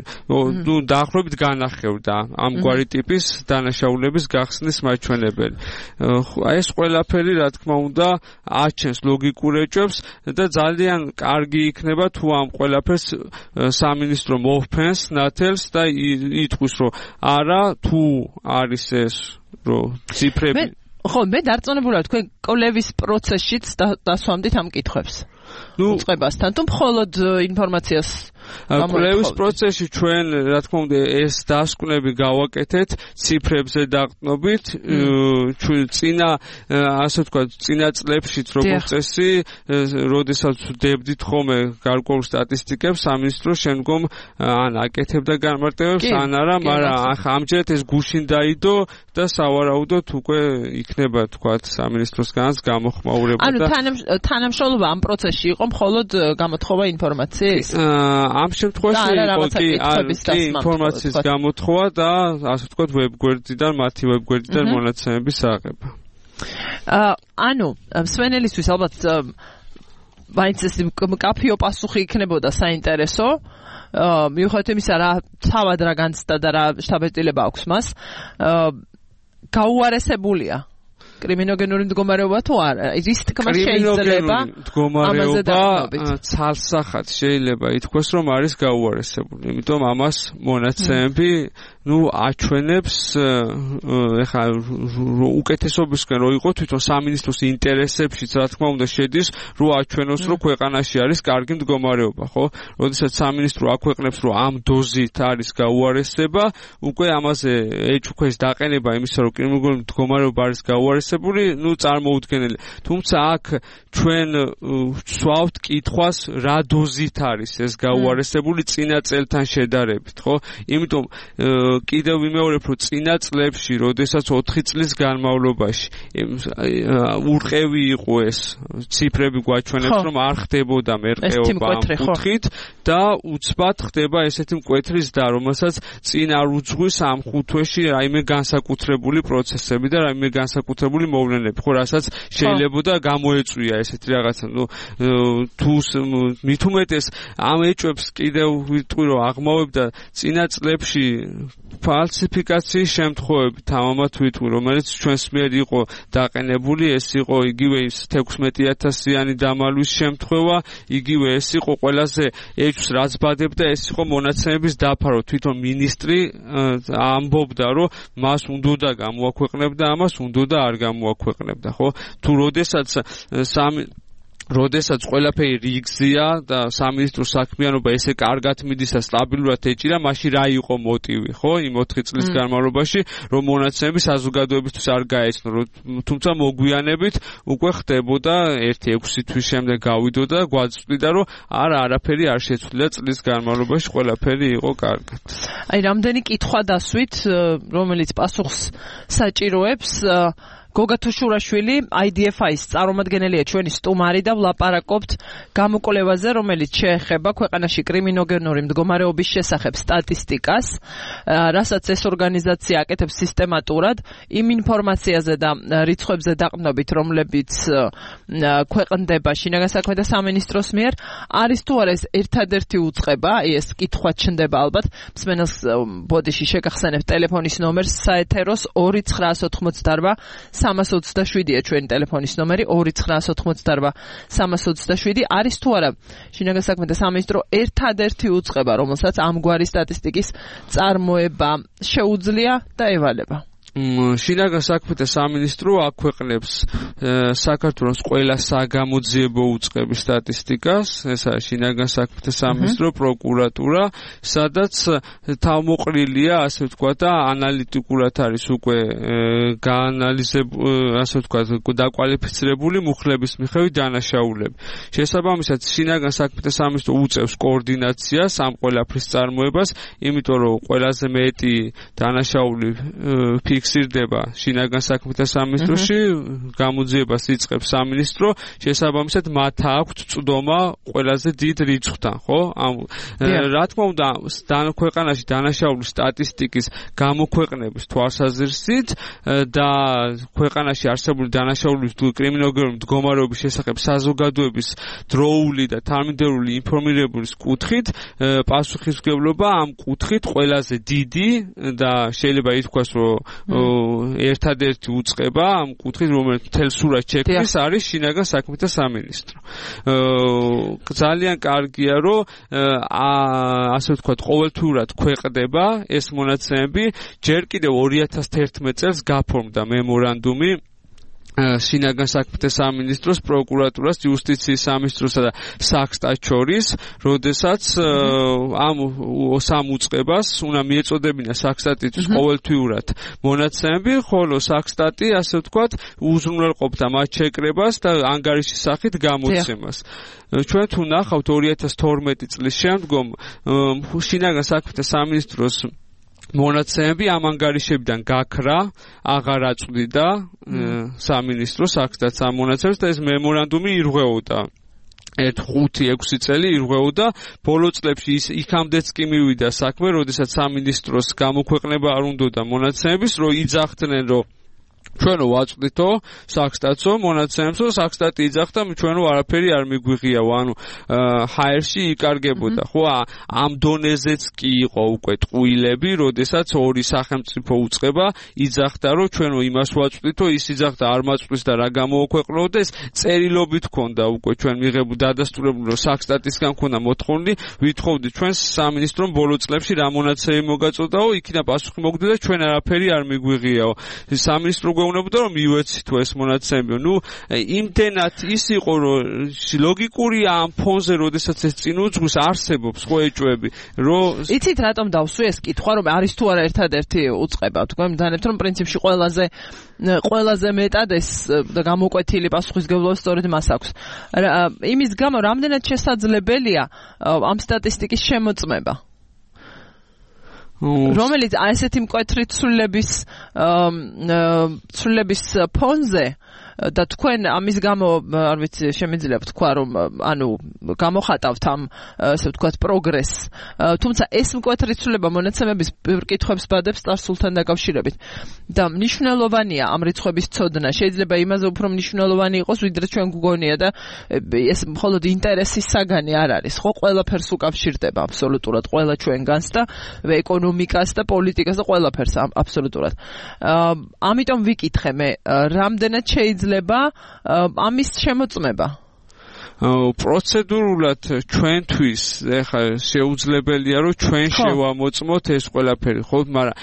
ნუ დაახლოებით განახევდა ამგვარი ტიპის დანაშაულების გახსნის მაჩვენებელი. აი ეს ყველაფერი რა თქმა უნდა აჩენს ლოგიკურ ეჭვებს და ძალიან კარგი იქნება თუ ამ ყველაფერს სამინისტრო მოვფენს ნათელს და იტყვის რომ არა თუ არის ეს რომ ციფრები ხო, მე დარწმუნებული ვარ თქვენ კოლევის პროცესშიც დასვამდით ამ კითხვებს. უწყებასთან თუ მხოლოდ ინფორმაციას კოლევის პროცესში ჩვენ რა თქმა უნდა ეს დასკვნები გავაკეთეთ ციფრებზე დაყრდნობით წინა ასე ვთქვათ წინა წლებშიც როგორც წესი როდესაც ვდებდით ხოლმე გარკვეულ სტატისტიკებს სამინისტრო შემდგომ ან აკეთებდა განმარტებებს ან არა, მაგრამ ახლა ამჯერად ეს გუშინ დაიდო და სავარაუდოდ უკვე იქნება ვთქვათ სამინისტროსგანაც გამოხმაურება და თანამშრომლობა ამ პროცესში იყო მხოლოდ გამოთხოვა ინფორმაციის? ამ შემთხვევაში იყო კი ინფორმაციის გამოთხოვა და ასე ვთქვათ ვებგვერდიდან მათი ვებგვერდიდან მონაცემების აღება. ანუ მსვენელისთვის ალბათ მაინც ეს კაფეო პასუხი იქნებოდა საინტერესო მიუხედავად იმისა რა თავად რა განცდა და რა შთაბეჭდილება აქვს მას გაუარესებულია კრიმინოგენური მდგომარეობა თუ არა? რის თქმა შეიძლება ამაზე დაყრდნობით? ცალსახად შეიძლება ითქვას რომ არის გაუარესებული, იმიტომ ამას მონაცემები აჩვენებს ეხლა უკეთესობისკენ რო იყო თვითონ სამინისტროს ინტერესებშიც რა თქმა უნდა შედის რო აჩვენოს რომ ქვეყანაში არის კარგი მდგომარეობა, ხო? როდესაც სამინისტრო აქვეყნებს რომ ამ დოზით არის გაუარესება, უკვე ამაზე ეჭვქვეშ დაყენება იმისა რომ კრიმინოგენური მდგომარეობა არის გაუარესებული, წარმოუდგენელი. თუმცა აქ ჩვენ ვსვავთ კითხვას რა დოზით არის ეს გაუარესებული წინა წელთან შედარებით, ხო? იმიტომ კიდევ ვიმეორებ რომ წინა წლებში, როდესაც 4 წლის განმავლობაში ურყევი იყო ეს ციფრები გვაჩვენებს რომ არ ხდებოდა მერყეობა ამ კუთხით და უცბად ხდება ესეთი მკვეთრი ზრდა, რომელსაც წინ არ უძღვის ამ 5 თვეში რაიმე განსაკუთრებული პროცესები და რაიმე განსაკუთრებული მოვლენები, ხო, რასაც შეიძლება და გამოეწვია ესეთი რაღაცა. თუ მით უმეტეს ამ ეჭვებს კიდევ ვიტყვი რომ აღმავებდა წინა წლებში ფალსიფიკაციის შემთხვევები, თამამად ვიტყვი, რომელიც ჩვენს მიერ იყო დაყენებული, ეს იყო იგივე ის 16,000-იანი დამალვის შემთხვევა, იგივე ეს იყო ყველაზე ეჭვს რაც ბადებდა, ეს იყო მონაცემების დაფარო. თვითონ მინისტრი ამბობდა, რომ მას უნდოდა გამოაქვეყნებდა, ამას უნდოდა არ გამოაქვეყნებდა, ხო? თუ როდესაც ყველაფერი რიგზია და სამინისტრო საქმიანობა ესე კარგად მიდის და სტაბილურად ეჭირა, მაშინ რა იყო მოტივი, ხო? იმ 4 წლის განმავლობაში, რომ მონაცემები საზოგადოებისთვის არ გაეცნო, თუმცა მოგვიანებით უკვე ხდებოდა 1-6 თვის შემდეგ გავიდოდა, გვაწვდიდა, რომ არაფერი არ შეცვლია წლის განმავლობაში, ყველაფერი იყო კარგად. აი, რამდენი კითხვა დასვით, რომელიც პასუხს საჭიროებს გოგა თუშურაშვილი IDFI-ის წარმომადგენელია ჩვენი სტუმარი და ვლაპარაკობთ გამოკვლევაზე, რომელიც შეეხება ქვეყანაში კრიმინოგენური მდგომარეობის შესახებ სტატისტიკას, რასაც ეს ორგანიზაცია აკეთებს სისტემატურად იმ ინფორმაციაზე და რიცხვებზე დაყრდნობით, რომლებიც ქვეყნდება შინაგან საქმეთა სამინისტროს მიერ, არის თუ არა ეს ერთადერთი უწყება, ეს კითხვა ჩნდება ალბათ, მსმენელს ბოდიში შეგახსენებთ ტელეფონის ნომერს საეთეროს 2988 327-ია ჩვენი ტელეფონის ნომერი 2988 327 არის თუ არა შინაგან საქმეთა სამინისტრო ერთადერთი უწყება, რომელსაც ამგვარი სტატისტიკის წარმოება შეუძლია და ევალება? შინაგან საქმეთა სამინისტრო აქვეყნებს საქართველოს ყველა საგამოძიებო უწყების სტატისტიკას, ეს არის შინაგან საქმეთა სამინისტრო, პროკურატურა, სადაც თავმოყრილია, ასე ვთქვათ, და ანალიტიკურად არის უკვე გაანალიზებული, ასე ვთქვათ, დაკვალიფიცირებული მუხლების მიხედვით დანაშაულები. შესაბამისად, შინაგან საქმეთა სამინისტრო უწევს კოორდინაციას ამ ყველაფრის წარმოებას, იმიტომ რომ ყველაზე მეტი დანაშაული ფიქსირდება შინაგან საქმეთა სამინისტროში, გამოძიებას იწყებს სამინისტრო, შესაბამისად მათ აქვთ წვდომა ყველაზე დიდ რიცხვთან, ხო? რა თქმა უნდა, ქვეყანაში დანაშაულის სტატისტიკის გამოქვეყნების თვალსაზრისით და ქვეყანაში არსებული დანაშაულის კრიმინოლოგიური მდგომარეობის შესახებ საზოგადოების დროული და თანმიმდევრული ინფორმირების კუთხით პასუხისმგებლობა ამ კუთხით ყველაზე დიდი და შეიძლება ითქვას, რომ ერთადერთი უწყება ამ კუთხით, რომელიც მთელ სურათს შექმნის, არის შინაგან საქმეთა სამინისტრო. ძალიან კარგია, რომ ასე ვთქვათ, ყოველთვიურად ქვეყნდება ეს მონაცემები. ჯერ კიდევ 2011 წელს გაფორმდა მემორანდუმი შინაგან საქმეთა სამინისტროს, პროკურატურას, იუსტიციის სამინისტროსა და საქსტატს შორის, როდესაც ამ სამ უწყებას უნდა მიეწოდებინა საქსტატის ყოველთვიურად მონაცემები, ხოლო საქსტატი, ასე ვთქვათ, უზრუნველყოფდა მათ შეკრებას და ანგარიშის სახით გამოცემას. ჩვენ თუ ნახავთ 2012 წლის შემდგომ შინაგან საქმეთა სამინისტროს მონაცემები ამ ანგარიშებიდან გაქრა, აღარ აწვდიდა სამინისტრო საქმეთა ამ მონაცემებს და ეს მემორანდუმი ირღვეოდა. 5-6 წელი ირღვეოდა. ბოლო წლებში იქამდეც კი მივიდა საქმე, როდესაც სამინისტროს გამოქვეყნება არ უნდოდა მონაცემების, რომ იძახდნენ, რომ ჩვენო ვაწვდითო საქსტატსო მონაცემებსო, საქსტატი იძახდა, ჩვენო არაფერი არ მიგვიღიაო, ანუ ჰაერში იკარგებოდა. ხო, ამ დონეზეც კი იყო უკვე ტყუილები, როდესაც ორი სახელმწიფო უწყება იძახდა, რომ ჩვენო იმას ვაწვდითო, ის იძახდა არ მაწვდის და რა გამოქვეყნოთ და ეს წერილობით ქონდა უკვე ჩვენ მიღებული დადასტურებული, რომ საქსტატისგან ქონდა მოთხოვნი, ვითხოვდით ჩვენ სამინისტრომ ბოლო წლებში რა მონაცემი მოგაწოდაო, იქიდან პასუხი მოგდე და ჩვენ არაფერი არ მიგვიღიაო. სამინისტრო გვეუბნებოდა, რომ მივეცით ეს მონაცემები. ნუ იმდენად ის იყო, რომ ლოგიკურია ამ ფონზე, როდესაც ეს წინ უძღვის არსებობს ხო ეჭვები, რომ იცით რატომ დავსვი ეს კითხვა, რომ არის თუ არა ერთადერთი უწყება, თქვენ მდანებთ, რომ პრინციპში ყველაზე მეტად ეს გამოკვეთილი პასუხისმგებლობა სწორედ მას აქვს. იმის გამო რამდენად შესაძლებელია ამ სტატისტიკის შემოწმება, რომელიც ასეთი მკვეთრი ცვლილების ფონზე და თქვენ ამის გამო არ ვიცი შემიძლია ვთქვა, რომ ანუ გამოხატავთ ამ ასე ვთქვათ პროგრესს, თუმცა ეს მკვეთრი ცვლილება მონაცემების კითხვებს ბადებს წარსულთან დაკავშირებით და მნიშვნელოვანია ამ რიცხვების ცოდნა. შეიძლება იმაზე უფრო მნიშვნელოვანი იყოს, ვიდრე ჩვენ გვგონია და ეს მხოლოდ ინტერესის საგანი არ არის, ხო? ყველაფერს უკავშირდება აბსოლუტურად, ყველა ჩვენგანს და ეკონომიკას და პოლიტიკას და ყველაფერს აბსოლუტურად. ამიტომ ვიკითხე მე, რამდენად შეიძლება ამის შემოწმება? პროცედურულად ჩვენთვის ეხლა შეუძლებელია, რომ ჩვენ შევამოწმოთ ეს ყველაფერი, ხო, მაგრამ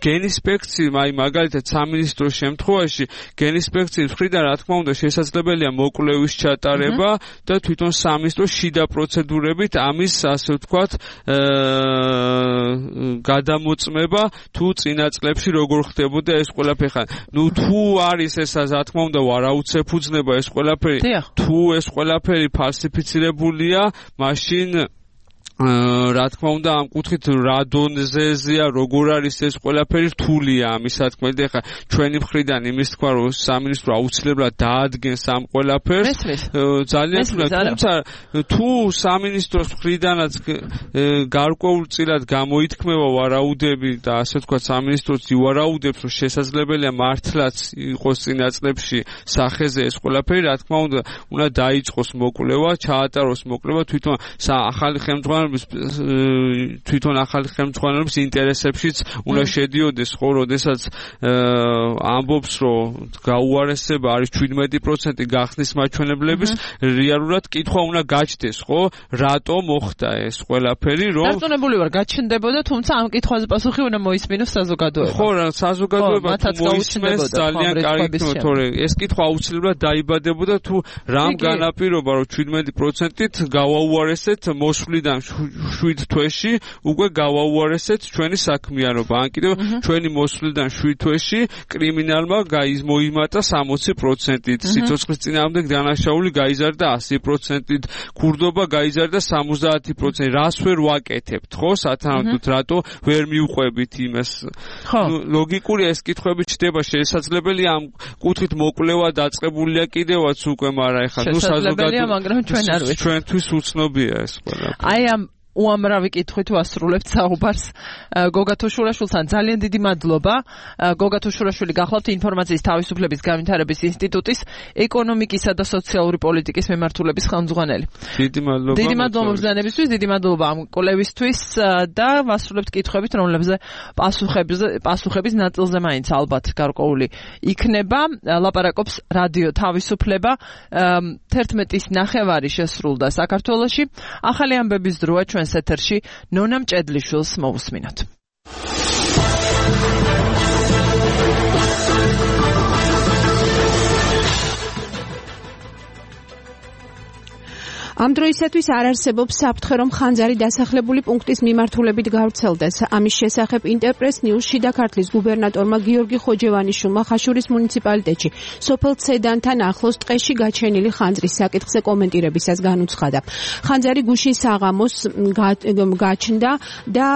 გენინსპექცია, მაგალითად სამინისტროს შემთხვევაში გენინსპექციის მხრიდან რა თქმა უნდა შესაძლებელია მოკვლევის ჩატარება და თვითონ სამინისტროს შიდა პროცედურებით ამის, ასე ვთქვათ, გადამოწმება თუ წინა წლებში როგორ ხდებოდა ეს ყველაფერი. ნუ თუ არის ეს, რა თქმა უნდა, არაუცებ-უძნება ეს ყველაფერი, თუ ეს ყველაფერი ფალსიფიცირებულია, მაშინ რა თქმა უნდა ამ კუთხით რა დონეზეა, როგორ არის ეს ყველაფერი რთულია ამის სათქმელი. ეხლა ჩვენი მხრიდან იმის თქვა, რომ სამინისტრო აუცილებლად დაადგენს ამ ყველაფერს, ძალიან თუნდაც, თუმცა თუ სამინისტროს მხრიდანაც გარკვეულწილად გამოითქმება ვარაუდები და ასე ვთქვათ სამინისტროც ივარაუდებს, რომ შესაძლებელია მართლაც იყოს წინა წლებში სახეზე ეს ყველაფერი, რა თქმა უნდა, უნდა დაიწყოს მოკვლევა, ჩაატაროს მოკვლევა, თვითონ ახალი ხელმძღვანელი ხელმძღვანელობის თვითონ ახალი ხელმძღვანელობის ინტერესებშიც უნდა შედიოდეს, ხო, როდესაც ამბობს, რომ გაუარესება არის 17% გახსნის მაჩვენებლების, რეალურად კითხვა უნდა გაჩნდეს, ხო, რატო მოხდა ეს ყველაფერი, რომ დარწმუნებული ვარ, გაჩნდებოდა, თუმცა ამ კითხვაზე პასუხი უნდა მოისმინოს საზოგადოება. ხო, რა საზოგადოება მოისმენს ძალიან კარგი, თორე ეს კითხვა აუცილებლად დაიბადებოდა თუ რამ განაპირობა, რომ 17%-ით გავაუარესეთ მოსვლიდან 7 თვეში, უკვე გავაუარესეთ ჩვენი საქმიანობა. ან კიდევ ჩვენი მოსვლიდან 7 თვეში კრიმინალმა მოიმატა 60%-ით, სიცოცხლის წინააღმდეგ დანაშაული გაიზარდა 100%-ით, ქურდობა გაიზარდა 70%-ით. რას ვერ ვაკეთებთ, ხო, სათანადოდ რატო ვერ მივყვებით იმას? ლოგიკურია ეს კითხვები ჩდება, შესაძლებელია ამ კუთხით მოკვლევა დაწყებულია კიდევაც უკვე, მაგრამ ეხლა ნუ საზოგადოება, მაგრამ ჩვენ არ ვიცით. ჩვენთვის უცნობია ეს ყველაფერი. აი ამ უამრავი კითხვით ვასრულებთ საუბარს გოგა თუშურაშვილთან. ძალიან დიდი მადლობა. გოგა თუშურაშვილი გახლავთ ინფორმაციის თავისუფლების განვითარების ინსტიტუტის ეკონომიკისა და სოციალური პოლიტიკის მემართულების ხელმძღვანელი. დიდი მადლობა. დიდი მადლობა მოგზაურობისთვის, დიდი მადლობა ამ კოლევისთვის და ვასრულებთ კითხვებით, რომლებზე პასუხების ნაწილზე მაინც ალბათ გარკვეული იქნება. ლაპარაკობს რადიო თავისუფლება. 11:09 შესრულდა საქართველოში. ახალი ამბების დროა ჩვენ ეთერში ნონა მჭედლიშვილს მოусმინოთ. ამ დროისათვის არ არსებობს საფრთხე, რომ ხანძარი დასახლებული პუნქტის მიმართულებით გავრცელდეს. ამის შესახებ ინტერპრეს ნიუსში და ქართლის გუბერნატორმა გიორგი ხოჯევანიშვილმა ხაშურის მუნიციპალიტეტში სოფელ ცედანთან ახლოს ტყეში გაჩენილი ხანძრის საკითხზე კომენტირებისას განუცხადა. ხანძარი გუშინ საღამოს გაჩნდა და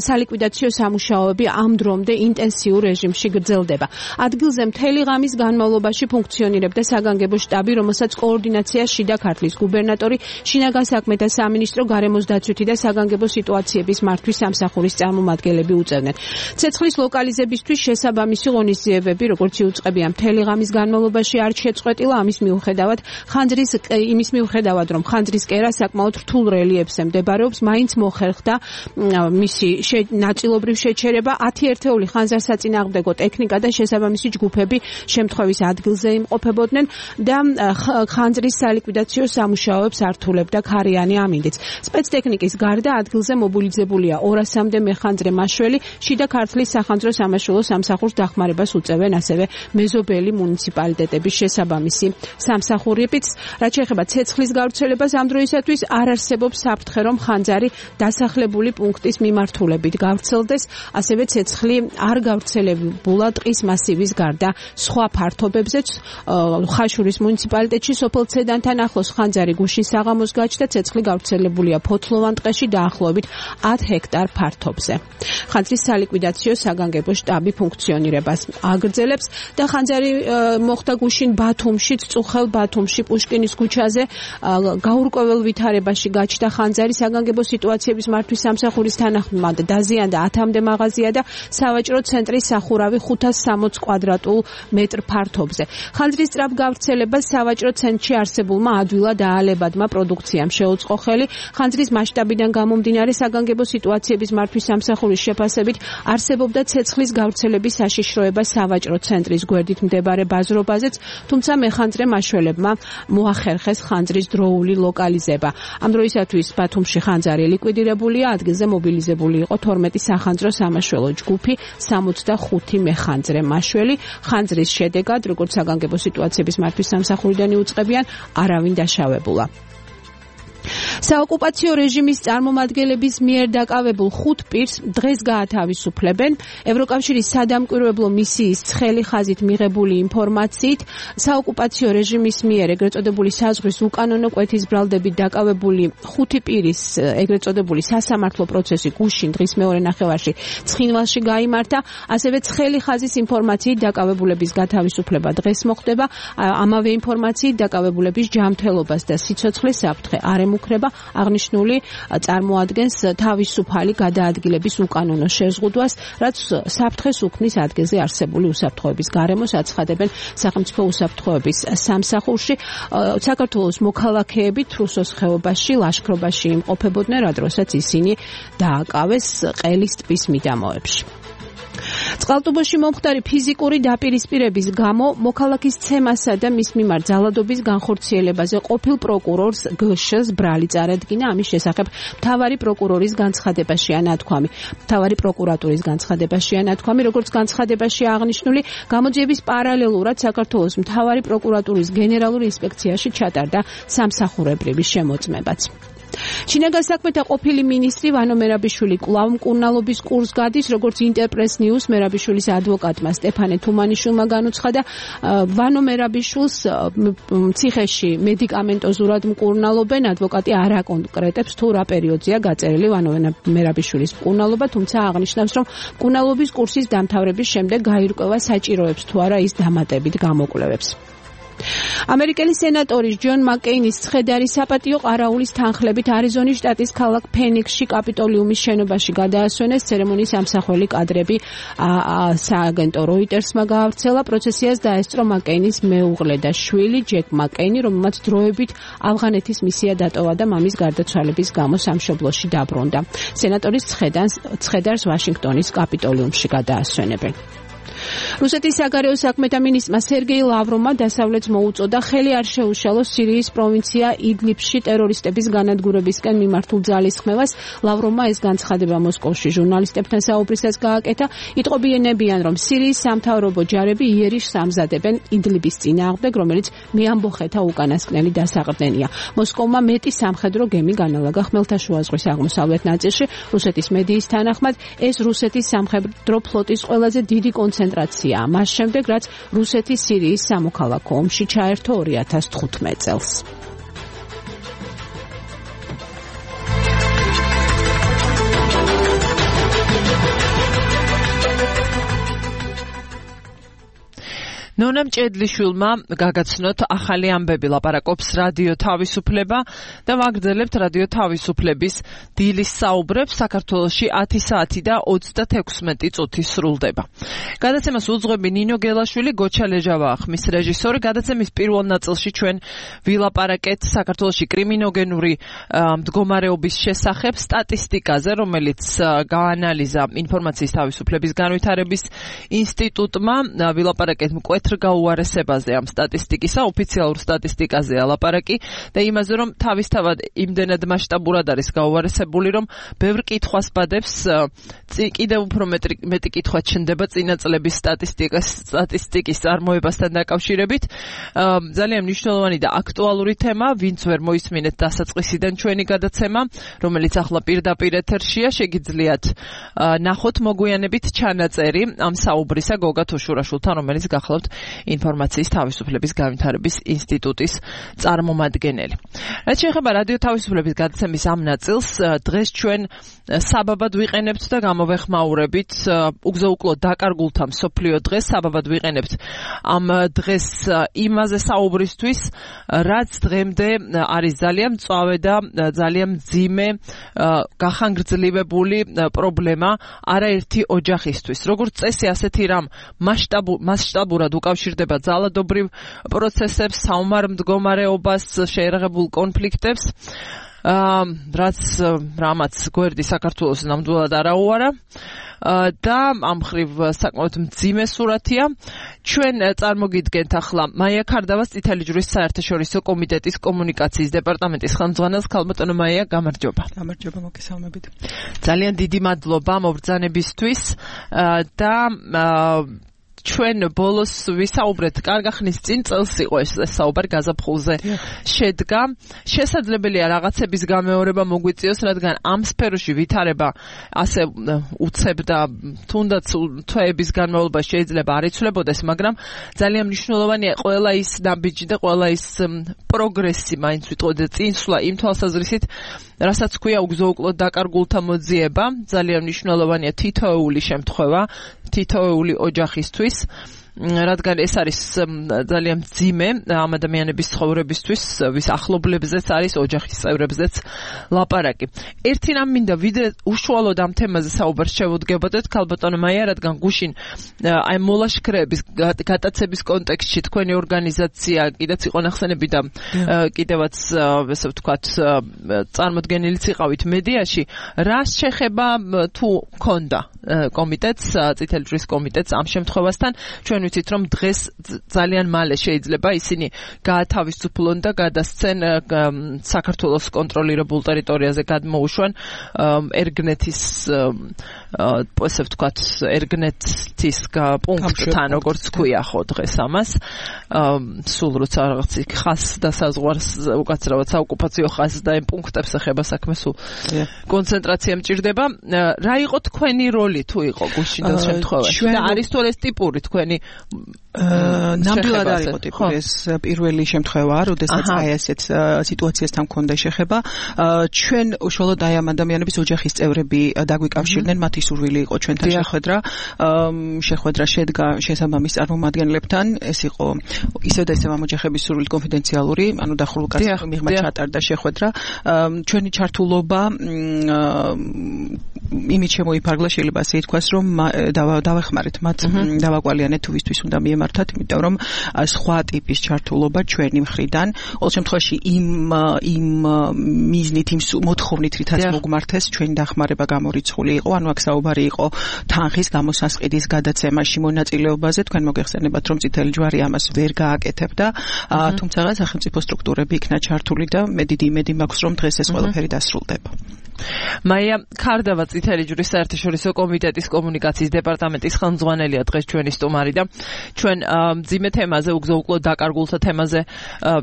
სალიკვიდაციო სამუშაოები ამ დრომდე ინტენსიურ რეჟიმში გრძელდება. ადგილზე მთელი ღამის განმავლობაში ფუნქციონირებდა საგანგებო შტაბი, რომელსაც კოორდინაციას შიდა ქართლის გუბერნატორი, შინაგან საქმეთა სამინისტრო, გარემოს დაცვითი და საგანგებო სიტუაციების მართვის სამსახურის წარმომადგენლები უწევდნენ. ცეცხლის ლოკალიზებისთვის შესაბამისი ღონისძიებები, როგორც იუწყებია, მთელი ღამის განმავლობაში არ შეწყვეტილა. იმის მიუხედავად, რომ ხანძრის კერა საკმაოდ რთულ რელიეფზე მდებარეობს, მაინც მოხერხდა მისი ნაწილობრივ შეჩერება. 10 ერთეული ხანძარსაწინააღმდეგო ტექნიკა და შესაბამისი ჯგუფები შემთხვევის ადგილზე იმყოფებოდნენ და ხანძრის სალიკვიდაციო სამუშაოებს ართულებდა ქარიანი ამინდიც. სპეცტექნიკის გარდა ადგილზე მობილიზებულია 200-მდე მეხანძრე მაშველი, შიდა ქართლის სახანძრო სამაშველო სამსახურს დახმარებას უწევენ ასევე მეზობელი მუნიციპალიტეტების შესაბამისი სამსახურებიც. რაც შეეხება ცეცხლის გავრცელებას, ამ დროისათვის არ არსებობს საფრთხე, რომ ხანძარი დასახლებული პუნქტის მიმართულებით გავრცელდეს, ასევე ცეცხლი არ გავრცელებულა ტყის მასივის გარდა სხვა ფართობებზეც. ხაშურის მუნიციპალიტეტში სოფელ ცედანთან ახლოს ხანძარი გუშინ საღამოს გაჩნდა, ცეცხლი გავრცელებულია ფოთლოვან ტყეში დაახლოებით 10 ჰექტარ ფართობზე. ხანძრის სალიკვიდაციო საგანგებო შტაბი ფუნქციონირებას აგრძელებს და ხანძარი მოხდა გუშინ ბათუმში, წუხელ ბათუმში, პუშკინის ქუჩაზე. გაურკვეველ ვითარებაში გაჩნდა ხანძარი, საგანგებო სიტუაციების მართვის სამსახურის თანახმად დაზიანდა 10-მდე მაღაზია და სავაჭრო ცენტრის სახურავი 560 კვადრატულ მეტრ ფართობზე. ხანძრის სწრაფ გავრცელებას სავაჭრო ცენტრში არსებულმა ადვილად აალებადმა პროდუქციამ შეუწყო ხელი. ხანძრის მასშტაბიდან გამომდინარე საგანგებო სიტუაციების მართვის სამსახურის შეფასებით არსებობდა ცეცხლის გავრცელების საშიშროება სავაჭრო ცენტრის გვერდით მდებარე ბაზრობაზეც, თუმცა მეხანძრე მაშველებმა მოახერხეს ხანძრის დროული ლოკალიზება. ამ დროისათვის ბათუმში ხანძარი ლიკვიდირებულია, ადგილზე მობილიზებული იყო 12 სახანძრო სამაშველო ჯგუფი, 65 მეხანძრე მაშველი. ხანძრის შედეგად, როგორც საგანგებო სიტუაციების მართვის სამსახურიდან იუწყებიან, არავინ დაშავებულა. საოკუპაციო რეჟიმის წარმომადგენლების მიერ დაკავებულ 5 პირს დღეს გაათავისუფლებენ. ევროკავშირის სადამკვირვებლო მისიის ცხელი ხაზით მიღებული ინფორმაციით, საოკუპაციო რეჟიმის მიერ ეგრეთ წოდებული საზღვრის უკანონო კვეთის ბრალდებით დაკავებული 5 პირის ეგრეთ წოდებული სასამართლო პროცესი გუშინ დღის მეორე ნახევარში ცხინვალში გაიმართა. ასევე ცხელი ხაზის ინფორმაციით დაკავებულების გათავისუფლება დღეს მოხდება. ამავე ინფორმაციით დაკავებულების ჯანმრთელობას და სიცოცხლის საფრთხე არ ემუქრება. აღნიშნული წარმოადგენს თავისუფალი გადაადგილების უკანონო შეზღუდვას, რაც საფრთხეს უქმნის ადგილზე არსებული უსაფრთხოების გარემოს აცხადებენ სახელმწიფო უსაფრთხოების სამსახურში. საქართველოს მოქალაქეები თრუსოს ხეობაში ლაშქრობაში იმყოფებოდნენ, რა დროსაც ისინი დააკავეს ყელის ტბის მიდამოებში. წყალტუბოში მომხდარი ფიზიკური დაპირისპირების გამო მოქალაქის ცემასა და მის მიმართ ძალადობის განხორციელებაზე ყოფილ პროკურორს გშ-ს ბრალი წარადგინა. ამის შესახებ მთავარი პროკურორის განცხადებაშია ნათქვამი. მთავარი პროკურატურის განცხადებაშია ნათქვამი, როგორც განცხადებაში აღნიშნული, გამოძიების პარალელურად საქართველოს მთავარი პროკურატურის გენერალური ინსპექციაში ჩატარდა სამსახურებრივი შემოწმებაც. შინაგან საქმეთა ყოფილი მინისტრი ვანო მერაბიშვილი კვლავ მკურნალობის კურსს გადის, როგორც ინტერპრეს ნიუს მერაბიშვილის ადვოკატმა სტეფანე თუმანიშვილმა განუცხადა, ვანო მერაბიშვილს ციხეში მედიკამენტოზურად მკურნალობენ. ადვოკატი არ აკონკრეტებს თუ რა პერიოდზეა გაწერილი ვანო მერაბიშვილის მკურნალობა, თუმცა აღნიშნავს, რომ მკურნალობის კურსის დამთავრების შემდეგ გაირკვევა საჭიროებს თუ არა ის დამატებით გამოკვლევებს. ამერიკელი სენატორის ჯონ მაკეინის ცხედარი საპატიო ყარაულის თანხლებით არიზონის შტატის ქალაქ ფენიქსში კაპიტოლიუმის შენობაში გადაასვენეს. ცერემონიის ამსახველი კადრები სააგენტო როიტერსმა გაავრცელა. პროცესიას დაესწრო მაკეინის მეუღლე და შვილი ჯეკ მაკეინი, რომელმაც დროებით ავღანეთის მისია დატოვა და მამის გარდაცვალების გამო სამშობლოში დაბრუნდა. სენატორის ცხედარს ვაშინგტონის კაპიტოლიუმში გადაასვენებენ. რუსეთის საგარეო საქმეთა მინისტრმა სერგეი ლავროვმა დასავლეთს მოუწოდა ხელი არ შეუშალოს სირიის პროვინცია იდლიბში ტერორისტების განადგურებისკენ მიმართულ ძალისხმევას. ლავროვმა ეს განცხადება მოსკოვში ჟურნალისტებთან საუბრისას გააკეთა. იტყობინებიან, რომ სირიის სამთავრობო ჯარები იერიშს ამზადებენ იდლიბის წინააღმდეგ, რომელიც მეამბოხეთა უკანასკნელი დასაყრდენია. მოსკოვმა მეტი სამხედრო გემი განალაგა ხმელთაშუა ზღვის აღმოსავლეთ ნაწილში. რუსეთის მედიის თანახმად ეს რუსეთის სამხედრო ფლოტის ყველაზე დიდი კონცენტრაცია მას შემდეგ, რაც რუსეთი სირიის სამოქალაქო ომში ჩაერთო 2015 წელს. ნონა მჭედლიშვილმა გაგაცნოთ ახალი ამბები, ლაპარაკობს რადიო თავისუფლება და ვაგრძელებთ რადიო თავისუფლების დილის საუბრებს. საქართველოში 10 საათი და 36 წუთი სრულდება. გადაცემას უძღვები ნინო გელაშვილი, გოჩა ლეჟავაა ხმის რეჟისორი. გადაცემის პირველ ნაწილში ჩვენ ვილაპარაკეთ საქართველოში კრიმინოგენური მდგომარეობის შესახებ სტატისტიკაზე, რომელიც გაანალიზა ინფორმაციის თავისუფლების განვითარების ინსტიტუტმა. ვილაპარაკეთ გაუარესებაზე ამ სტატისტიკისა, ოფიციალურ სტატისტიკაზეა ლაპარაკი და იმაზე, რომ თავისთავად იმდენად მასშტაბურად არის გაუარესებული, რომ ბევრ კითხვას ბადებს, კიდევ უფრო მეტი კითხვა ჩნდება წინა წლების სტატისტიკის წარმოებასთან დაკავშირებით. ძალიან მნიშვნელოვანი და აქტუალური თემა, ვინც ვერ მოისმინეთ დასაწყისიდან ჩვენი გადაცემა, რომელიც ახლა პირდაპირ ეთერშია, შეგიძლიათ ნახოთ მოგვიანებით ჩანაწერი ამ საუბრისა გოგა თუშურაშვილთან, რომელიც გახლავთ ინფორმაციის თავისუფლების განვითარების ინსტიტუტის წარმომადგენელი. რაც შეეხება რადიო თავისუფლების გადაცემის ამ ნაწილს, დღეს ჩვენ საბაბად ვიყენებთ და გამოვეხმაურებით უგზო-უკლო დაკარგულთა მსოფლიო დღეს. საბაბად ვიყენებთ ამ დღეს იმაზე საუბრისთვის, რაც დღემდე არის ძალიან მწვავე და ძალიან მძიმე გახანგრძლივებული პრობლემა არაერთი ოჯახისთვის. როგორც წესი, ასეთი რამ მასშტაბურად უკავშირდება ძალადობრივ პროცესებს, საომარ მდგომარეობას, შეერაღებულ კონფლიქტებს, რამაც გვერდი საქართველოს ნამდვილად არაუარა და ამ მხრივ საკმაოდ მძიმე სურათია. ჩვენ წარმოგიდგენთ ახლა მაია ქარდავას წითელი ჯვრის საერთაშორისო კომიტეტის კომუნიკაციის დეპარტამენტის ხელმძღვანელს. ქალბატონო მაია, გამარჯობა. გამარჯობა, მოგესალმებით. ძალიან დიდი მადლობა მობრძანებისთვის და ჩვენ ბოლოს ვისაუბრეთ, კარგა ხნის წინ წელს იყო ეს საუბარი გაზაფხულზე შედგა. შესაძლებელია რაღაცების გამეორება მოგვიწიოს, რადგან ამ სფეროში ვითარება ასე უცებ და თუნდაც თვეების განმავლობაში შეიძლება არ იცვლებოდეს, მაგრამ ძალიან მნიშვნელოვანია ყველა ის ნაბიჯი და ყველა ის პროგრესი, მაინც ვიტყოდე წინსვლა იმ თვალსაზრისით, რასაც ქვია უგზო-უკლო დაკარგულთა მოძიება. ძალიან მნიშვნელოვანია თითოეული შემთხვევა, თითოეული ოჯახისთვის. რადგან ეს არის ძალიან მძიმე ამ ადამიანების ცხოვრებისთვის, ვის ახლობლებზეც არის, ოჯახის წევრებზეც ლაპარაკი. ერთი რამ მინდა ვიდრე უშუალოდ ამ თემაზე საუბარს შევუდგებოდეთ, ქალბატონო მაია, რადგან გუშინ აი მოლაშქრეების გატაცების კონტექსტში თქვენი ორგანიზაცია კიდეც იყო ნახსენები და კიდევაც ესე ვთქვათ წარმოდგენილიც იყავით მედიაში, რას შეხება თუ ქონდა კომიტეტს, წითელი ჯვრის კომიტეტს ამ შემთხვევასთან, ჩვენ ვიცით რომ დღეს ძალიან მალე შეიძლება ისინი გაათავისუფლონ და გადასცენ საქართველოს კონტროლირებულ ტერიტორიაზე გადმოუშვან ერგნეთის ესე ვთქვათ ერგნეთის პუნქტთან, როგორც ქვია ხო დღეს ამას, სულ როცა რაღაც ხას და საზღვარს უკაცრავად საოკუპაციო ხაზს და იმ პუნქტებს ეხება საქმე, სულ კონცენტრაცია მჭირდება. რა იყო თქვენი როლი თუ იყო გუშინდელ შემთხვევაში და არის თუ ეს ტიპური თქვენი ნამდვილად არ იყო ტიპური ეს პირველი შემთხვევაა, როდესაც აი ესეთ სიტუაციასთან მქონდა შეხება. ჩვენ უშუალოდ აი ამ ადამიანების ოჯახის წევრები დაგვიკავშირდნენ, მათი სურვილი იყო ჩვენთან შეხვედრა შედგა შესაბამის წარმომადგენლებთან. ეს იყო ისევ და ისევ ამ ოჯახების სურვილით კონფიდენციალური, ანუ დახურულ კაცის მიღმა ჩატარდა შეხვედრა. ჩვენი ჩართულობა იმით შემოიფარგლა, შეიძლება ასე ითქვას, რომ დავეხმარეთ მათ, დავაკვალიანეთ თუ ვისთვის უნდა მიემართათ, იმიტომ რომ სხვა ტიპის ჩართულობა ჩვენი მხრიდან, ყოველ შემთხვევაში იმ მიზნით, იმ მოთხოვნით, რითაც მოგმართეს, ჩვენი დახმარება გამორიცხული იყო, ანუ აქ საუბარი იყო თანხის გამოსასყიდის გადაცემაში მონაწილეობაზე. თქვენ მოგეხსენებათ, რომ წითელი ჯვარი ამას ვერ გააკეთებდა, თუმცა სახელმწიფო სტრუქტურები იქნა ჩართული და მე დიდი იმედი მაქვს, რომ დღეს ეს ყველაფერი დასრულდება. მაია ქარდავა წითელი ჯვრის საერთაშორისო კომიტეტის კომუნიკაციის დეპარტამენტის ხელმძღვანელია დღეს ჩვენი სტუმარი და ჩვენ მძიმე თემაზე, უგზო-უკლო დაკარგულთა თემაზე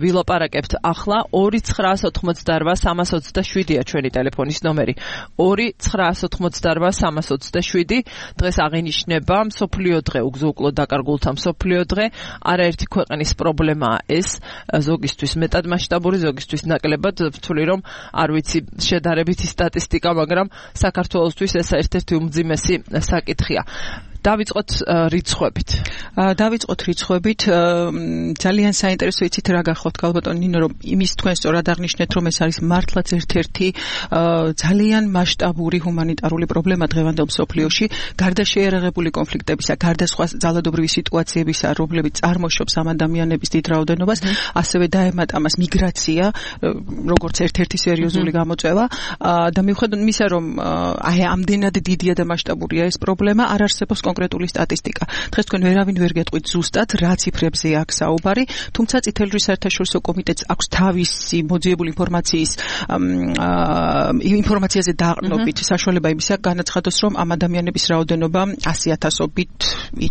ვილაპარაკებთ. ახლა 2988327-ია ჩვენი ტელეფონის ნომერი. 2988327. დღეს აღინიშნება მსოფლიო დღე, უგზო-უკლო დაკარგულთა მსოფლიო დღე. არაერთი ქვეყნის პრობლემაა ეს, ზოგისთვის მეტად მასშტაბური, ზოგისთვის ნაკლებად. ვთვლი რომ არ ვიცი შედარებითი სტატისტიკა, მაგრამ საქართველოსთვის ეს ერთ-ერთი უმძიმესი საკითხია. დავიწყოთ რიცხვებით. ძალიან საინტერესო იცით რა გახოთ ქალბატონ ნინო, რომ იმის თქვენ სწორად აღნიშნეთ, რომ ეს არის მართლაც ერთ-ერთი ძალიან მასშტაბური ჰუმანიტარული პრობლემა დღევანდელ მსოფლიოში, გარდა შეიარაღებული კონფლიქტებისა, გარდა სხვა ძალადობრივი სიტუაციებისა, რომლებიც წარმოშობს ამ ადამიანების დიდ რაოდენობას, ასევე დაემატა ამას მიგრაცია, როგორც ერთ-ერთი სერიოზული გამოწვევა და მიუხედავად იმისა, რომ აი ამდენად დიდია და მასშტაბურია ეს პრობლემა, არ არსებობს კონკრეტული სტატისტიკა. დღეს თქვენ ვერავინ ვერ გეტყვით ზუსტად რა ციფრებზე აქვს საუბარი, თუმცა წითელი ჯვრის საერთაშორისო კომიტეტს აქვს თავისი მოძიებული ინფორმაციაზე დაყრდნობით საშუალება იმისა განაცხადოს, რომ ამ ადამიანების რაოდენობა 100,000-ობით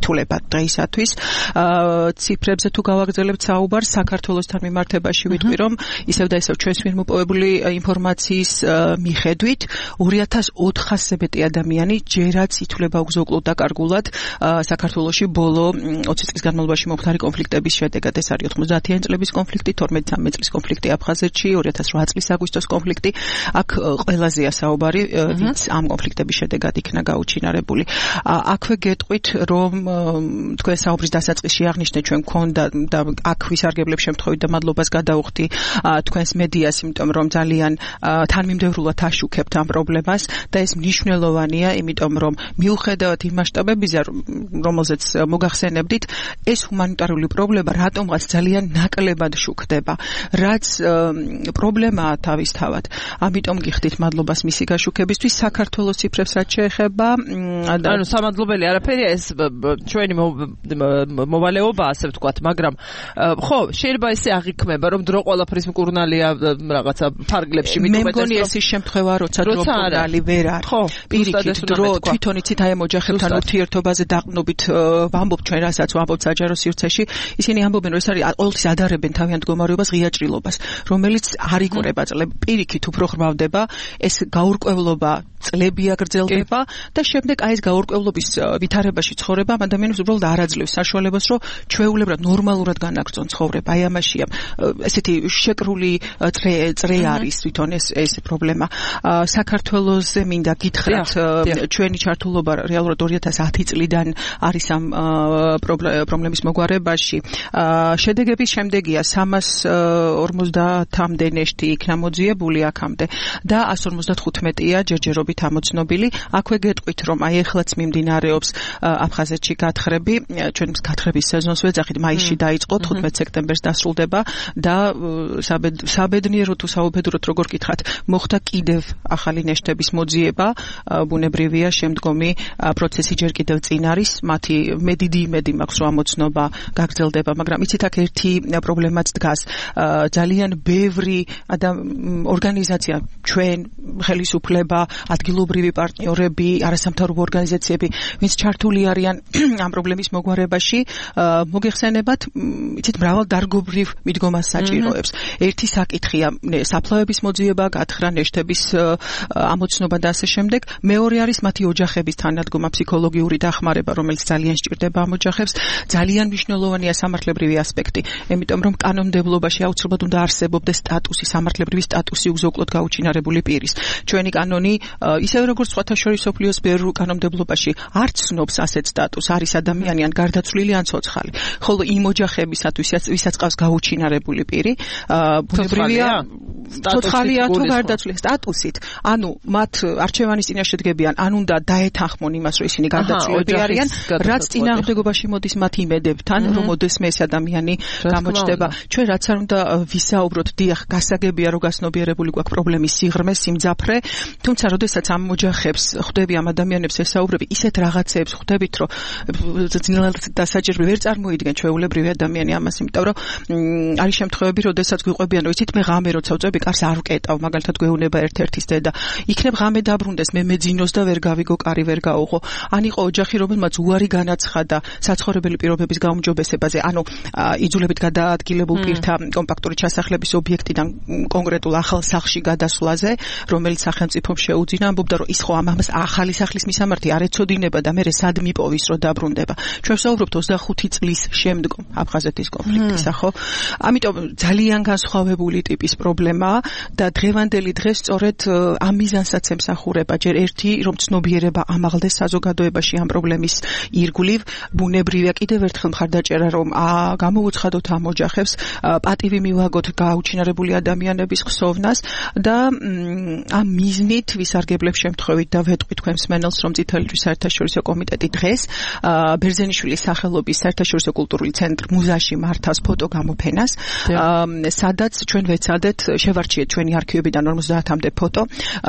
ითვლება დღეისათვის. ციფრებზე თუ გავაგრძელებთ საუბარს, საქართველოსთან მიმართებაში ვიტყვი, რომ ისევ და ისევ ჩვენს მიერ მოპოვებული ინფორმაციის მიხედვით 2400-ზე მეტი ადამიანი ჯერაც ითვლება უგზო-უკლო დაკარგულ საქართველოში ბოლო 20 წლის განმავლობაში მომხდარი კონფლიქტების შედეგად. ეს არის 90-იანი წლების კონფლიქტი, 12-13 წლის კონფლიქტი აფხაზეთში, 2008 წლის აგვისტოს კონფლიქტი. აქ ყველაზე საუბარი ვინც ამ კონფლიქტების შედეგად იქნა გაუჩინარებული. აქვე გეტყვით, რომ თქვენ საუბრის დასაწყისში აღნიშნეთ, ჩვენ მქონდა და აქ ვისარგებლებ შემთხვევით და მადლობას გადაუხდი თქვენს მედიას, იმიტომ რომ ძალიან თანმიმდევრულად აშუქებთ ამ პრობლემას და ეს მნიშვნელოვანია, იმიტომ რომ მიუხედავად იმ მასშტაბებისა, რომელზეც მოგახსენებდით, ეს ჰუმანიტარული პრობლემა რატომღაც ძალიან ნაკლებად შუქდება, რაც პრობლემაა თავისთავად. ამიტომ გიხდით მადლობას მისი გაშუქებისთვის. საქართველოს ციფრებს რაც შეეხება, ანუ სამადლობელი არაფერია, ეს ჩვენი მოვალეობა, ასე ვთქვათ, მაგრამ ხო, შეიძლება ესე აღიქმება, რომ დრო ყველაფრის მკურნალია რაღაცა ფარგლებში, მე მგონი ეს ის შემთხვევა, როცა დრო მკურნალი ვერ არის. პირიქით დრო თვითონ იცით აი ამ ოჯახებთან ურთიერთობაზე დაყრდნობით ვამბობ ჩვენ, რასაც ვამბობთ საჯარო სივრცეში, ისინი ამბობენ, რომ ეს არის ყოველთვის ადარებენ თავიანთ მდგომარეობას, ღია ჭრილობას, რომელიც არ იკვრება წლები, პირიქით უფრო ხრმავდება, ეს გაურკვევლობა წლები აგრძელდება და შემდეგ აი ეს გაურკვევლობის ვითარებაში ცხოვრება ამ ადამიანებს უბრალოდ არ აძლევს საშუალებას, რომ ჩვეულებრივად ნორმალურად განაგრძონ ცხოვრება. აი ამაშია ესეთი შეკრული წრე არის თვითონ ეს პრობლემა. საქართველოზე მინდა გითხრათ, ჩვენი ჩართულობა რეალურად 2010 წლიდან არის ამ პრობლემის მოგვარებაში. შედეგების შემდეგია 350-მდე ნეშტი იქნა მოძიებული აქამდე და 155-ია ჯერჯერობით ამოცნობილი. აქვე გეტყვით, რომ აი ეხლაც მიმდინარეობს აფხაზეთში გათხრები, ჩვენ გათხრების სეზონს ვეძახით, მაისში დაიწყო, 15 სექტემბერს დასრულდება და საბედნიერო თუ საუბედუროდ როგორ გითხრათ, მოხდა კიდევ ახალი ნეშტების მოძიება, ბუნებრივია შემდგომი პროცესი ჯერ კიდევ წინ არის, მათი დიდი იმედი მაქვს, რომ ამოცნობა გაგრძელდება, მაგრამ იცით აქ ერთი პრობლემაც დგას. ძალიან ბევრი ორგანიზაცია, ჩვენ ხელისუფლება, ადგილობრივი პარტნიორები, არასამთავრობო ორგანიზაციები, ვინც ჩართული არიან ამ პრობლემის მოგვარებაში, მოგეხსენებათ, იცით, მრავალდარგობრივ მიდგომას საჭიროებს. ერთი საკითხია საფლავების მოძიება, გათხრა, ნეშტების ამოცნობა და ასე შემდეგ. მეორე არის მათი ოჯახების თანადგომა, ფსიქოლოგიური დახმარება, რომელიც ძალიან სჭირდება ამ ოჯახებს. ძალიან მნიშვნელოვანია სამართლებრივი ასპექტი, იმიტომ რომ კანონმდებლობაში აუცილებლად უნდა არსებობდეს სტატუსი, სამართლებრივი სტატუსი უზოკლოდ გაუჩინარებული პირის. ჩვენი კანონი, ისევე როგორც სხვათა შორის მსოფლიოს ბევრ კანონმდებლობაში, არ ცნობს ასეთ სტატუსს, არის ადამიანი ან გარდაცვლილი ან ცოცხალი. ხოლო იმ ოჯახებისათვის, ვისაც ყავს გაუჩინარებული პირი, ბუნებრივია ცოცხალია თუ გარდაცვლილი სტატუსით, ანუ მათ არჩევანის წინაშე დგებიან, ან უნდა დაეთანხმონ იმას, რომ ისინი გარდაცვლილები არიან, რაც წინააღმდეგობაში მოდის მათ იმედებთან, რომ ოდესმე ეს ადამიანი გამოჩნდება. ჩვენ რაც არ უნდა ვისაუბროთ, დიახ, გასაგებია, რომ გასნობიერებული გვაქვს პრობლემის სიღრმე, სიმძაფრე, თუმცა როდესაც ამ ოჯახებს ხვდები, ამ ადამიანებს ესაუბრები, ისეთ რაღაცეებს ხვდებით, რომ ძნელად დასაჭირებელი ვერ წარმოიდგენ ჩვეულებრივი ადამიანი ამას, იმიტომ რომ არის შემთხვევები, როდესაც გვიყვებიან, რომ იცით, მე ღამე როცა ვწვევი, კარს არ ვკეტავ, მაგალითად გვეუბნება ერთ-ერთის დედა. იქნებ ღამე დაბრუნდეს, მე მეძინოს და ვერ გავიგო, კარი ვერ გაუღო. ან იყო ოჯახი, რომელმაც უარი განაცხადა საცხოვრებელი პირობების გაუმჯობესებაზე, ანუ იძულებით გადაადგილებულ პირთა კომპაქტური ჩასახლების ობიექტიდან კონკრეტულ ახალ სახლში გადასვლაზე, რომელიც სახელმწიფომ შეუძინა, ამბობდა, რომ ის ხო ამას ახალი სახლის მისამართი არ ეცოდინება და მე სად მიპოვის, რომ დაბრუნდება. ჩვენ ვსაუბრობთ 25 წლის შემდგომ აფხაზეთის კონფლიქტისა, ხო? ამიტომ ძალიან განსხვავებული ტიპის პრობლემაა და დღევანდელი დღეს სწორედ ამ მიზანსაც ემსახურება. ჯერ ერთი, რომ ცნობიერება ამაღლდეს საზოგადოებაში ამ პრობლემის ირგვლივ, ბუნებრივია კიდევ ერთხელ მხარდაჭერა, რომ გამოუცხადოთ ამ ოჯახებს, პატივი მივაგოთ გაუჩინარებული ადამიანების ხსოვნას და ამ მიზნით ვისარგებლებ შემთხვევით და ვეტყვი თქვენ მსმენელს, რომ წითელი ჯვრის საერთაშორისო კომიტეტი დღეს ბერძენიშვილის სახელობის საერთაშორისო კულტურული ცენტრ მუზაში მართავს ფოტო გამოფენას, სადაც ჩვენ ვეცადეთ შევარჩიეთ ჩვენი არქივებიდან 50-მდე ფოტო,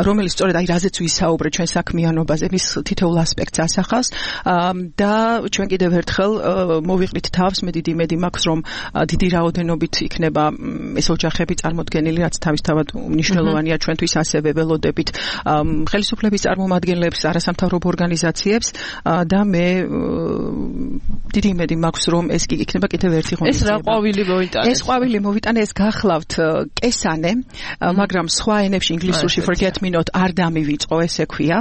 რომელიც სწორედ აი რაზეც ვისაუბრეთ ჩვენ საქმიანობაზე, მის თითოეულ ასპექტს ასახავს და ჩვენ კიდევ ერთხელ მოვიყრით თავს, მე დიდი იმედი მაქვს, რომ დიდი რაოდენობით იქნება ეს ოჯახები წარმოდგენილი, რაც თავისთავად მნიშვნელოვანია ჩვენთვის, ასევე ველოდებით ხელისუფლების წარმომადგენლებს, არასამთავრობო ორგანიზაციებს და მე დიდი იმედი მაქვს, რომ ეს იქნება კიდევ ერთი ღონისძიება. ეს რა ყვავილი მოიტანეს? ეს ყვავილი მოვიტანე, ეს გახლავთ კესანე, მაგრამ სხვა ენებში ინგლისურში forget me not არ დამივიწყო, ესე ქვია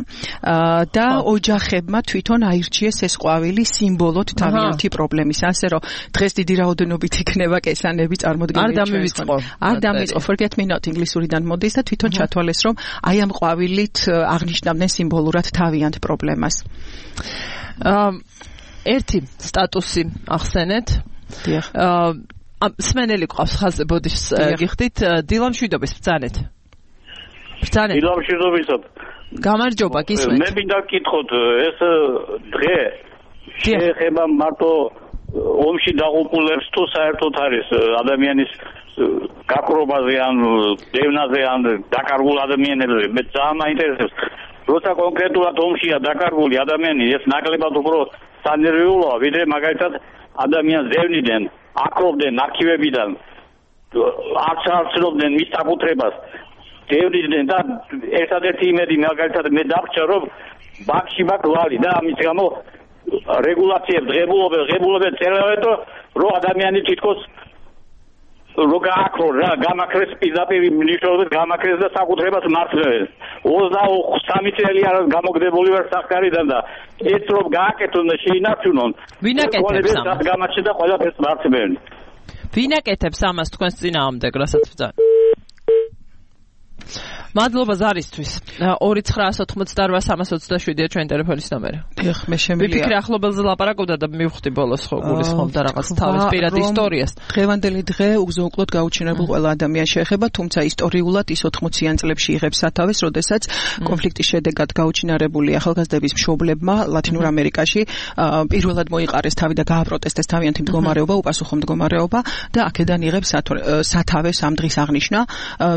და ოჯახებმა თვითონ აირჩიეს ეს ყვავილი სიმბოლოდ თავიანთი პრობლემის, ასე რომ დღეს დიდი რაოდენობით იქნება კესანები წარმოდგენილი. არ დამივიწყო forget me not ინგლისურიდან მოდის და თვითონ ჩათვალეს, რომ აი ამ ყვავილით აღნიშნავდნენ სიმბოლურად თავიანთ პრობლემას. ერთი სტატუსი ახსენეთ. დიახ. სმენელი ყავს ხაზზე, ბოდიშს გიხდით, დილამშვიდობის ბრძანეთ. ბრძანეთ. დილამშვიდობისად. გამარჯობა, გისმენთ. მე მინდა გკითხოთ, ეს დღე შეეხება მარტო ომში დაღუპულებს თუ საერთოდ არის ადამიანის გაქრობაზე ან დევნაზე ან დაკარგულ ადამიანებზე? მე ძალიან მაინტერესებს, როცა კონკრეტულად ომშია დაკარგული ადამიანი, ეს ნაკლებად უფრო სანერვიულოა, ვიდრე მაგალითად ადამიანს დევნიდან, აკრობდნენ არქივებიდან, არც არ ცნობდნენ მის საკუთრებას, დევნიდნენ და ერთადერთი იმედი მაგალითად მე დავრჩა, რომ ბანკში მაქვს ვალი და ამის გამო რეგულაციებს ღებულობენ წერავენ, რომ ადამიანი თითქოს რო გააქრო რა გამაქრეს პირდაპირ ნიშნავს გამაქრეს და საკუთრებას მართლებს 23 წელი არის გამოგდებული ვარ სახკარიდან და ეს რომ გააკეთონ და შეინარჩუნონ ვინ აკეთებს ამას გამაჩნდა და ყველაფერს მართლობენ ვინ აკეთებს ამას თქვენს წინააღმდეგ რასაც ვძან მადლობა ზარისთვის 2988327-ია ჩვენი ტელეფონის ნომერი. დიახ, მე შემიძლია. ვიფიქრე ახლობელზე ლაპარაკობდა და მივხვდი ბოლოს ხო გულისხმობდა რაღაც თავის პირად ისტორიას. დღევანდელი დღე უზოუკლოდ გაუჩინარებულ ყველა ადამიანს შეეხება, თუმცა ისტორიულად ის 80-იან წლებში იღებს სათავეს, როდესაც კონფლიქტის შედეგად გაუჩინარებული ახალგაზრდების მშობლებმა ლათინურ ამერიკაში პირველად მოიყარეს თავი და გააპროტესტეს თავიანთი მდგომარეობა, უპასუხო მდგომარეობა და აქედან იღებს სათავეს ამ დღის აღნიშვნა.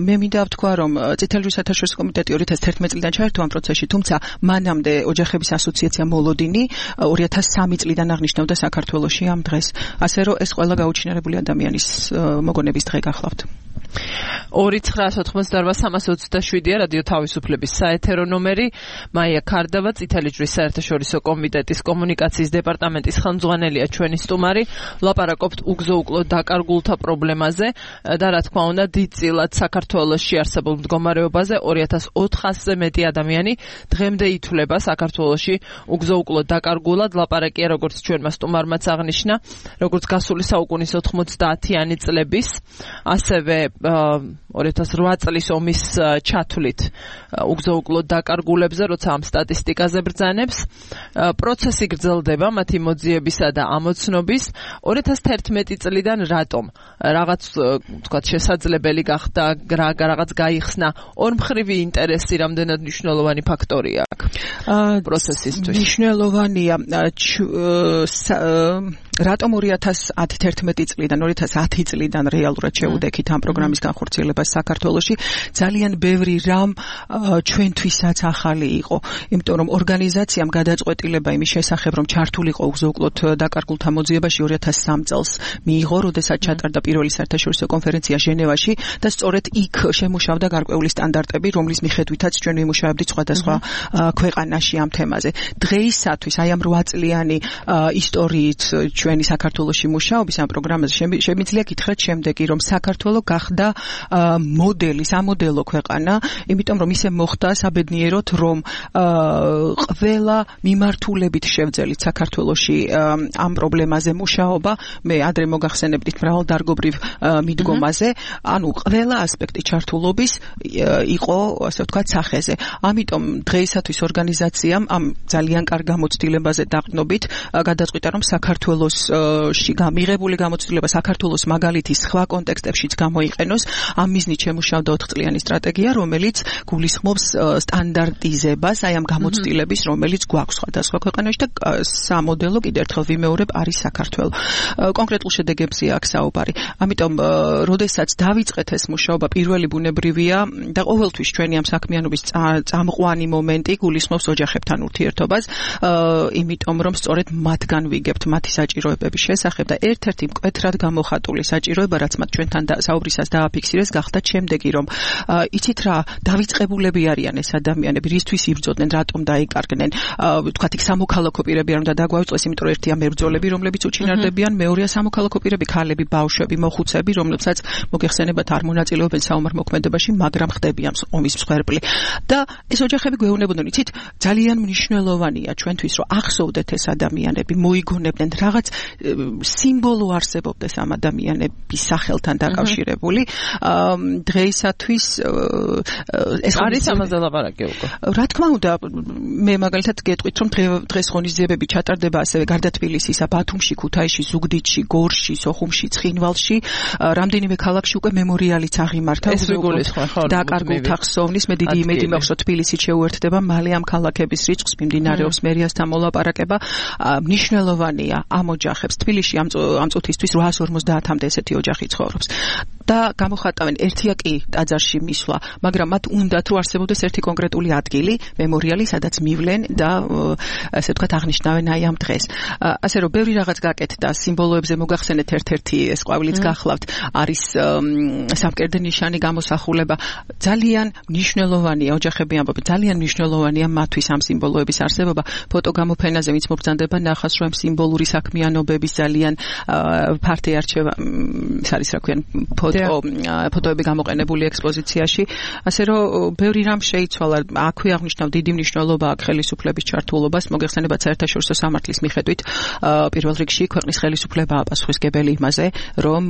მე მინდა ვთქვა, რომ წითელი საერთაშორისო კომიტეტი 2011 წლიდან ჩაერთო ამ პროცესში, თუმცა მანამდე ოჯახების ასოციაცია მოლოდინი 2003 წლიდან აღნიშნავდა საქართველოში ამ დღეს. ასე რომ ეს ყველა გაუჩინარებული ადამიანის მოგონების დღე გახლავთ. 2988327-ია რადიო თავისუფლების საეთერო ნომერი. მაია ქარდავა, წითელი ჯვრის საერთაშორისო კომიტეტის კომუნიკაციის დეპარტამენტის ხელმძღვანელია ჩვენი სტუმარი. ლაპარაკობთ უგზო-უკლოდ დაკარგულთა პრობლემაზე და რა თქმა უნდა დიდწილად საქართველოში არსებულ მდგომარეობაზე 2400-ზე მეტი ადამიანი დღემდე ითვლება საქართველოში უგზო-უკლოდ დაკარგულად. ლაპარაკია როგორც ჩვენმა სტუმარმაც აღნიშნა, როგორც გასული საუკუნის 90-იანი წლების, ასევე 2008 წლის ომის ჩათვლით უგზო-უკლოდ დაკარგულებზე, როცა ამ სტატისტიკაზე ბრძანებს. პროცესი გრძელდება მათი მოძიებისა და ამოცნობის. 2011 წლიდან რატომ რაღაც თქვათ შესაძლებელი გახდა, რაღაც გაიხსნა ორმხრივი ინტერესი, რამდენად მნიშვნელოვანი ფაქტორია აქ პროცესისთვის? მნიშვნელოვანია რატომ 2011 წლიდან 2010 წლიდან რეალურად შეუდექით ამ პროგრამის განხორციელებას საქართველოში. ძალიან ბევრი რამ ჩვენთვისაც ახალი იყო, იმიტომ რომ ორგანიზაციამ გადაწყვეტილება იმის შესახებ, რომ ჩართულიყო უგზო-უკლოდ დაკარგულთა მოძიებაში 2003 წელს მიიღო, როდესაც ჩატარდა პირველი საერთაშორისო კონფერენცია ჟენევაში და სწორედ იქ შემუშავდა გარკვეული სტანდარტები, რომლის მიხედვითაც ჩვენ ვიმუშავებდით სხვადასხვა ქვეყანაში ამ თემაზე. დღეისათვის აი ამ 8 წლიანი ისტორიით ჩვენი საქართველოში მუშაობის ამ პროგრამაზე შემიძლია გითხრათ შემდეგი, რომ საქართველო გახდა მოდელი, სამოდელო ქვეყანა, იმიტომ რომ ისე მოხდა საბედნიეროდ, რომ ყველა მიმართულებით შევძელით საქართველოში ამ პრობლემაზე მუშაობა, მე ადრე მოგახსენებდით მრავალდარგობრივ მიდგომაზე, ანუ ყველა ასპექტი ჩართულობის იყო, ასე ვთქვათ, სახეზე. ამიტომ დღეისათვის ორგანიზაციამ ამ ძალიან კარგ გამოცდილებაზე დაყრდნობით გადაწყვიტა, რომ საქართველოში მიღებული გამოცდილება საქართველოს მაგალითის სხვა კონტექსტებშიც გამოიყენოს. ამ მიზნით შემუშავდა 4 წლიანი სტრატეგია, რომელიც გულისხმობს სტანდარტიზებას აი ამ გამოცდილების, რომელიც გვაქვს სხვადასხვა ქვეყანაში და სამოდელო კიდევ ერთხელ ვიმეორებ არის საქართველო. კონკრეტულ შედეგებზე აქ საუბარი. ამიტომ, როდესაც დავიწყეთ ეს მუშაობა, პირველი ბუნებრივია და ყოველთვის ჩვენი ამ საქმიანობის წამყვანი მომენტი გულისხმობს ოჯახებთან ურთიერთობას, იმიტომ რომ სწორედ მათგან ვიგებთ მათი საჭიროებების შესახებ და ერთ-ერთი მკვეთრად გამოხატული საჭიროება, რაც მათ ჩვენთან საუბრისას დააფიქსირეს, გახდა შემდეგი, რომ იცით რა, დავიწყებულები არიან ეს ადამიანები, რისთვის იბრძოდნენ, რატომ დაიკარგნენ, ვთქვათ, იქ სამოქალაქო პირები არ უნდა დაგვაუწყდეს, იმიტომ რომ ერთია მებრძოლები, რომლებიც უჩინარდებიან, მეორეა სამოქალაქო პირები, ქალები, ბავშვები, მოხუცები, რომლებსაც მოგეხსენებათ არ მონაწილეობენ საომარ მოქმედებაში, მაგრამ ხდებიან ომის მსხვერპლი. და ეს ოჯახები გვეუბნებოდნენ, იცით, ძალიან მნიშვნელოვანია ჩვენთვის, რომ ახსოვდეთ ეს ადამიანები, მოიგონებდნენ რაღაც სიმბოლო არსებობდეს ამ ადამიანების სახელთან დაკავშირებული. დღეისათვის ეს არის ამაზე ლაპარაკი უკვე. რა თქმა უნდა, მე მაგალითად გეტყვით, რომ დღეს ღონისძიებები ჩატარდება ასევე გარდა თბილისისა, ბათუმში, ქუთაისში, ზუგდიდში, გორში, სოხუმში, ცხინვალში, რამდენიმე ქალაქში უკვე მემორიალიც აღიმართა. ეს ვიგულისხმე ხო? დაკარგულთა ხსოვნის, მე დიდი იმედი მაქვს, რომ თბილისით შეუერთდება მალე ამ ქალაქების რიცხვს, მიმდინარეობს მერიასთან მოლაპარაკება. მნიშვნელოვანია ამ ოჯახებს თბილისში ამ წუთისთვის 850-მდე ესეთი ოჯახი ცხოვრობს. და გამოხატავენ ერთია კი ტაძარში მისვლა, მაგრამ მათ უნდათ რომ არსებობდეს ერთი კონკრეტული ადგილი, მემორიალი, სადაც მივლენ და ასე ვთქვათ აღნიშნავენ აი ამ დღეს. ასე რომ ბევრი რაღაც გაკეთდა, სიმბოლოებზე მოგახსენეთ ერთ-ერთი ეს ყვავილიც გახლავთ, არის სამკერდე ნიშანი გამოსახულება. ძალიან მნიშვნელოვანია ოჯახები ამბობენ, ძალიან მნიშვნელოვანია მათთვის ამ სიმბოლოების არსებობა. ფოტოგამოფენაზე ვინც მობრძანდება ნახავს, რომ სიმბოლური საქმიანობების ძალიან ფართი არჩევა, ეს არის რა ქვია, ფოტოები გამოყენებული ექსპოზიციაში, ასე რომ ბევრი რამ შეიცვალა. აქვე აღნიშნავ დიდი მნიშვნელობა აქვს ხელისუფლების ჩართულობას, მოგეხსენებათ საერთაშორისო სამართლის მიხედვით პირველ რიგში ქვეყნის ხელისუფლებაა პასუხისმგებელი იმაზე, რომ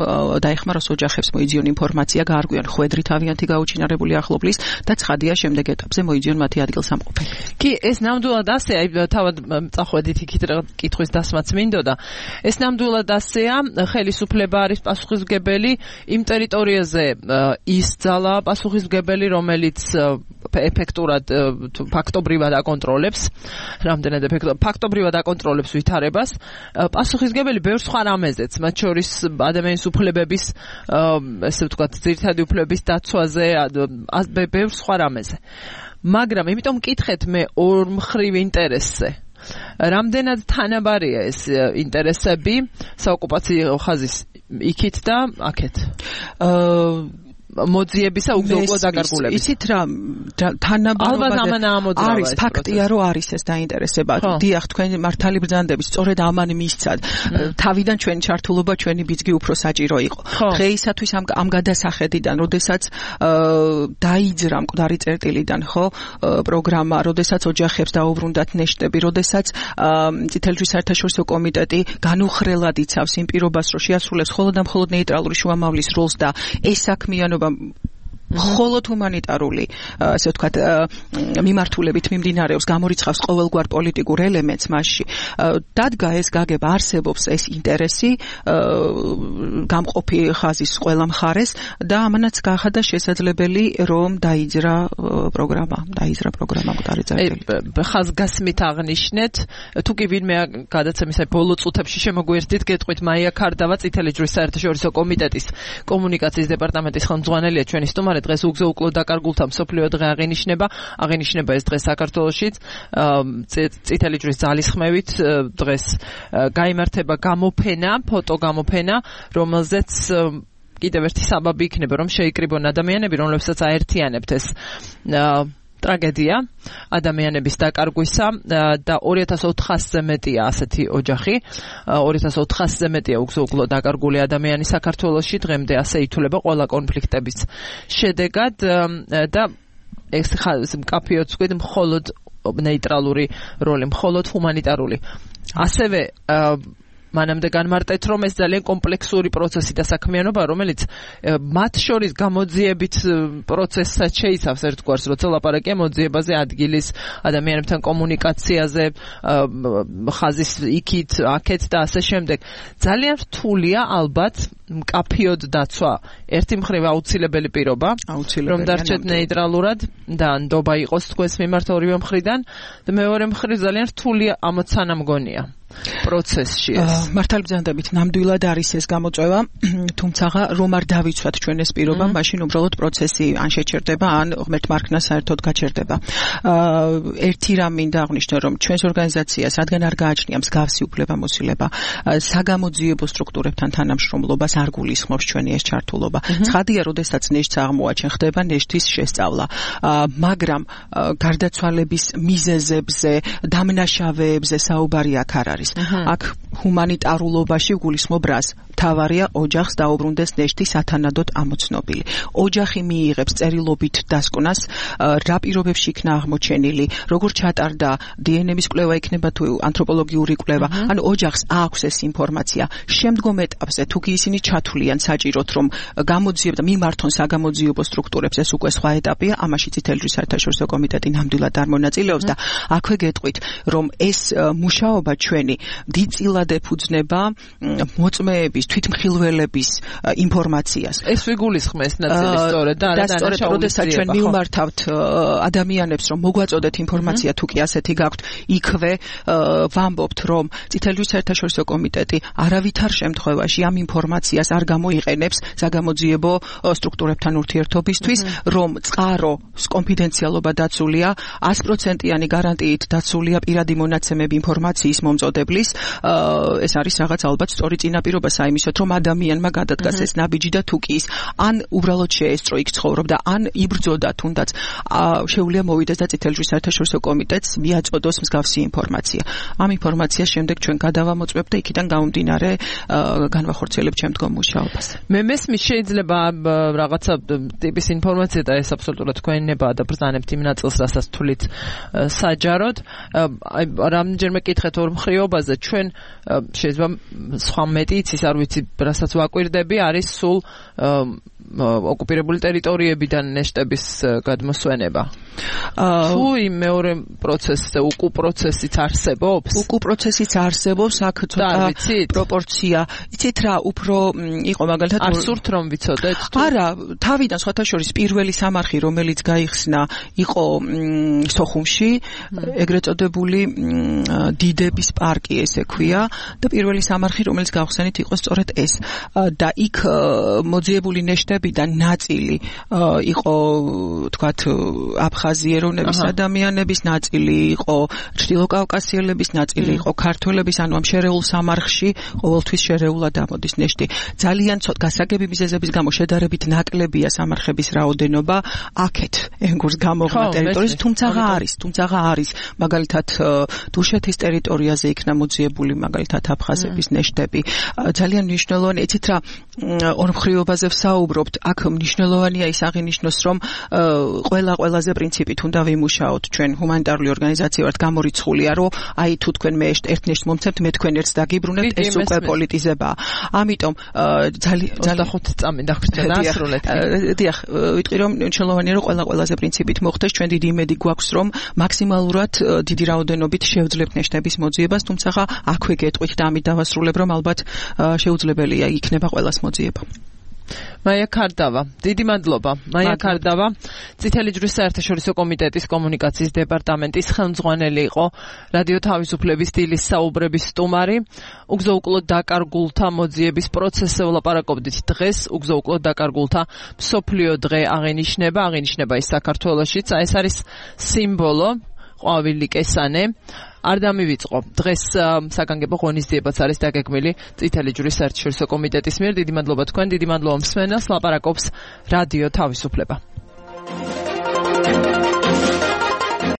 დაეხმაროს ოჯახებს მოიძიონ ინფორმაცია, გაარღვიონ ხვედრი თავიანთი გაუჩინარებული ახლობლის და ცხადია შემდეგ ეტაპზე მოიძიონ მათი ადგილსამყოფელი. კი, ეს ნამდვილად ასე, თავად წახვედით იქით კითხვის დასმაც მინდოდა. ეს ნამდვილად ასეა, ხელისუფლება არის პასუხისმგებელი იმ ტერიტორიაზე ის ძალა პასუხისმგებელი, რომელიც ეფექტურად ფაქტობრივად აკონტროლებს, რამდენად ფაქტობრივად აკონტროლებს ვითარებას, პასუხისმგებელი ბევრ სხვა რამეზეც, მათ შორის ადამიანის უფლებების, ესე ვთქვათ, ძირითადი უფლებების დაცვაზე, ბევრ სხვა რამეზე. მაგრამ იმიტომ მკითხეთ მე ორმხრივ ინტერესზე. რამდენად თანაბარია ეს ინტერესები საოკუპაციო ხაზის იქით და აქეთ? მოძიებისა უგზო დაკარგულების. იცით რა, თანაბარობა არის ფაქტია, რომ არის ეს დაინტერესება. დიახ, თქვენ მართალი ბრძანდებით, სწორედ ამან მისცად. თავიდან ჩვენი ჩართულობა, ჩვენი ბიძგი უფრო საჭირო იყო. დღეისათვის ამ გადასახედიდან, როდესაც დაიძრა მკვდარი წერტილიდან, ხო, პროგრამა, როდესაც ოჯახებს დაუბრუნდათ ნეშტები, როდესაც წითელი ჯვრის საერთაშორისო კომიტეტი განუხრელად იცავს იმ პირობას, რომ შეასრულებს მხოლოდ და მხოლოდ ნეიტრალური შუამავლის როლს და ეს საქმიანობა მხოლოდ ჰუმანიტარული, ასე ვთქვათ, მიმართულებით მიმდინარეობს, გამორიცხავს ყოველგვარ პოლიტიკურ ელემენტს მასში. დადგა ეს გაგება, არსებობს ეს ინტერესი გამყოფი ხაზის ყველა მხარეს და ამანაც გაახადა შესაძლებელი, რომ დაიძრა პროგრამა მკვდარი წერტილი. ხაზგასმით აღნიშნეთ, თუ კი ვინმე გადაცემის ბოლო წუთებში შემოგვიერთდით, გეტყვით მაია ქარდავა, წითელი ჯვრის საერთაშორისო კომიტეტის კომუნიკაციის დეპარტამენტის ხელმძღვანელია ჩვენი სტუმარი. დღეს უგზო უკლოდ დაკარგულთა მსოფლიო დღე აღინიშნება ეს დღე საქართველოშიც წითელი ჯვრის ძალისხმევით დღეს გაიმართება გამოფენა, ფოტო გამოფენა, რომელზეც კიდევ ერთი საბაბი იქნება, რომ შეიკრიბონ ადამიანები, რომლებსაც აერთიანებთ ეს ტრაგედია ადამიანების დაკარგვისა და 2400-ზე მეტია ასეთი ოჯახი, 2400-ზე მეტია უგზო დაკარგული ადამიანი საქართველოში, დღემდე ასე ითვლება ყველა კონფლიქტების შედეგად და ეს მკაფიოდ ვთქვით, მხოლოდ ნეიტრალური როლი, მხოლოდ ჰუმანიტარული. ასევე მანამდე განმარტეთ, რომ ეს ძალიან კომპლექსური პროცესი და საქმიანობა, რომელიც მათ შორის გამოძიებით პროცესსაც შეიცავს ერთგვარს, როცა ლაპარაკია მოძიებაზე, ადგილის ადამიანებთან კომუნიკაციაზე, ხაზის იქით, აქეთ და ასე შემდეგ. ძალიან რთულია ალბათ მკაფიოდ დაცვა. ერთი მხრივ აუცილებელი პირობა, რომ დარჩეთ ნეიტრალურად და ნდობა იყოს თქვენს მიმართ ორივე მხრიდან და მეორე მხრივ ძალიან რთულია ამოცანა მგონია. პროცესში ეს მართალი ბრძანდებით ნამდვილად არის ეს გამოწვევა, თუმცა რომ არ დავიცვათ ჩვენ ეს პირობა, მაშინ უბრალოდ პროცესი ან შეჩერდება, ან ღმერთ მარქნა საერთოდ გაჩერდება. ერთი რამ მინდა აღვნიშნო, რომ ჩვენს ორგანიზაციას რადგან არ გააჩნია მსგავსი უფლებამოსილება, საგამოძიებო სტრუქტურებთან თანამშრომლობას არ გულისხმობს ჩვენი ეს ჩართულობა. ცხადია, როდესაც ნეშტს აღმოაჩენ, ხდება ნეშტის შესწავლა, მაგრამ გარდაცვალების მიზეზებზე, დამნაშავეებზე საუბარი აქ არ არის. აქ ჰუმანიტარულობაში გულისხმობ რას? თავარია ოჯახს დაუბრუნდეს ნეშტი სათანადოდ ამოცნობილი. ოჯახი მიიღებს წერილობით დასკვნას, რა პირობებში იქნა აღმოჩენილი, როგორ ჩატარდა დნმ-ის კვლევა იქნება თუ ანთროპოლოგიური კვლევა, ანუ ოჯახს აქვს ეს ინფორმაცია. შემდგომ ეტაპზე თუ კი ისინი ჩათვლიან საჭიროთ, რომ გამოძიებდა მიმართონ საგამოძიებო სტრუქტურებს, ეს უკვე სხვა ეტაპია, ამაში წითელი ჯვრის საერთაშორისო კომიტეტი ნამდვილად არ მონაწილეობს და აქვე გეტყვით, რომ ეს მუშაობა ჩვენი დიდწილად ეფუძნება მოწმეების, თვითმხილველების ინფორმაციას. ეს ვიგულისხმეს ნაწილი სწორედ და სწორედ როდესაც ჩვენ მივმართავთ ადამიანებს, რომ მოგვაწოდეთ ინფორმაცია, თუ კი ასეთი გაქვთ, იქვე ვამბობთ, რომ წითელი ჯვრის საერთაშორისო კომიტეტი არავითარ შემთხვევაში ამ ინფორმაციას არ გამოიყენებს საგამოძიებო სტრუქტურებთან ურთიერთობისთვის, რომ წყაროს კონფიდენციალობა დაცულია, 100%-იანი გარანტიით დაცულია პირადი მონაცემები ინფორმაციის მომწოდებლის, ეს არის რაღაც ალბათ სწორი წინაპირობა, იმისოთ, რომ ადამიანმა გადადგას ეს ნაბიჯი და თუ კი ის ან უბრალოდ შეესწრო იქ ცხოვრობდა, ან იბრძოდა თუნდაც შეუძლია მოვიდეს და წითელი ჯვრის საერთაშორისო კომიტეტს მიაწოდოს მსგავსი ინფორმაცია. ამ ინფორმაციას შემდეგ ჩვენ გადავამოწმებთ და იქიდან გამომდინარე განვახორციელებთ შემდგომ მუშაობას. მე მესმის შეიძლება რაღაცა ტიპის ინფორმაცია და ეს აბსოლუტურად თქვენებაა და ბრძანებთ იმ ნაწილს, რასაც თვლით საჯაროდ. აი რამდენჯერმე კითხეთ ორმხრივობაზე, ჩვენ შეიძლება სხვა მეტი იცის, არ ვიცი, რასაც ვაკვირდები, არის სულ ოკუპირებული ტერიტორიებიდან ნეშტების გადმოსვენება. თუ იმ მეორე პროცესზე უკუ პროცესიც არსებობს? უკუ პროცესიც არსებობს, აქ ცოტა პროპორცია. იცით რა, უფრო იყო მაგალითად არ სურთ რომ ვიცოდეთ? არა, თავიდან სხვათა შორის პირველი სამარხი, რომელიც გაიხსნა, იყო სოხუმში, ეგრეთ წოდებული დიდების პარკი ესე ქვია და პირველი სამარხი, რომელიც გავხსენით, იყო სწორედ ეს. და იქ მოძიებული ნეშტებიდან ნაწილი იყო, თქვათ, აფხაზიეროვნების ადამიანების, ნაწილი იყო ჩრდილოკავკასიელების, ნაწილი იყო ქართველების, ანუ ამ შერეულ სამარხში ყოველთვის შერეულად ამოდის ნეშტი. ძალიან ცოტა გასაგები მიზეზების გამო შედარებით ნაკლებია სამარხების რაოდენობა აქეთ ენგურს გამოღმა ტერიტორიის, თუმცა არის მაგალითად დუშეთის ტერიტორიაზე იქნა მოძიებული მაგალითად აფხაზების ნეშტები. ძალიან მნიშვნელოვანი, იცით რა, ორმხრივობაზე ვსაუბრობთ, აქ მნიშვნელოვანია ის აღინიშნოს, რომ ყველაზე პრინციპით უნდა ვიმუშაოთ ჩვენ ჰუმანიტარული ორგანიზაცია ვართ გამორიცხულია, რომ აი თუ თქვენ მე ერთ ნეშტს მომცემთ, მე თქვენ ერთს დაგიბრუნებთ, ეს უკვე პოლიტიზებაა. ამიტომ 25 წამი დაგვჭირდა დაასრულეთ. დიახ, ვიტყვი რომ მნიშვნელოვანია რომ ყველაზე პრინციპით მოხდეს, ჩვენ დიდი იმედი გვაქვს რომ მაქსიმალურად დიდი რაოდენობით შევძლებთ ნეშტების მოძიებას, თუმცა აქვე გეტყვით და ამით დავასრულებ რომ ალბათ შეუძლებელია იქნება ყველას მოძიება. მაია ქარდავა, დიდი მადლობა. მაია ქარდავა, წითელი ჯვრის საერთაშორისო კომიტეტის კომუნიკაციის დეპარტამენტის ხელმძღვანელი იყო, რადიო თავისუფლების დილის საუბრების სტუმარი. უგზო-უკლოდ დაკარგულთა მოძიების პროცესზე ვლაპარაკობდით დღეს. უგზო-უკლოდ დაკარგულთა მსოფლიო დღე აღინიშნება ის საქართველოშიც. ეს არის სიმბოლო, ყვავილი კესანე. არ დამივიწყო. დღეს საგანგებო ღონისძიებაც არის დაგეგმილი წითელი ჯვრის საერთაშორისო კომიტეტის მიერ. დიდი მადლობა თქვენ, დიდი მადლობა მსმენელს. ლაპარაკობს რადიო თავისუფლება.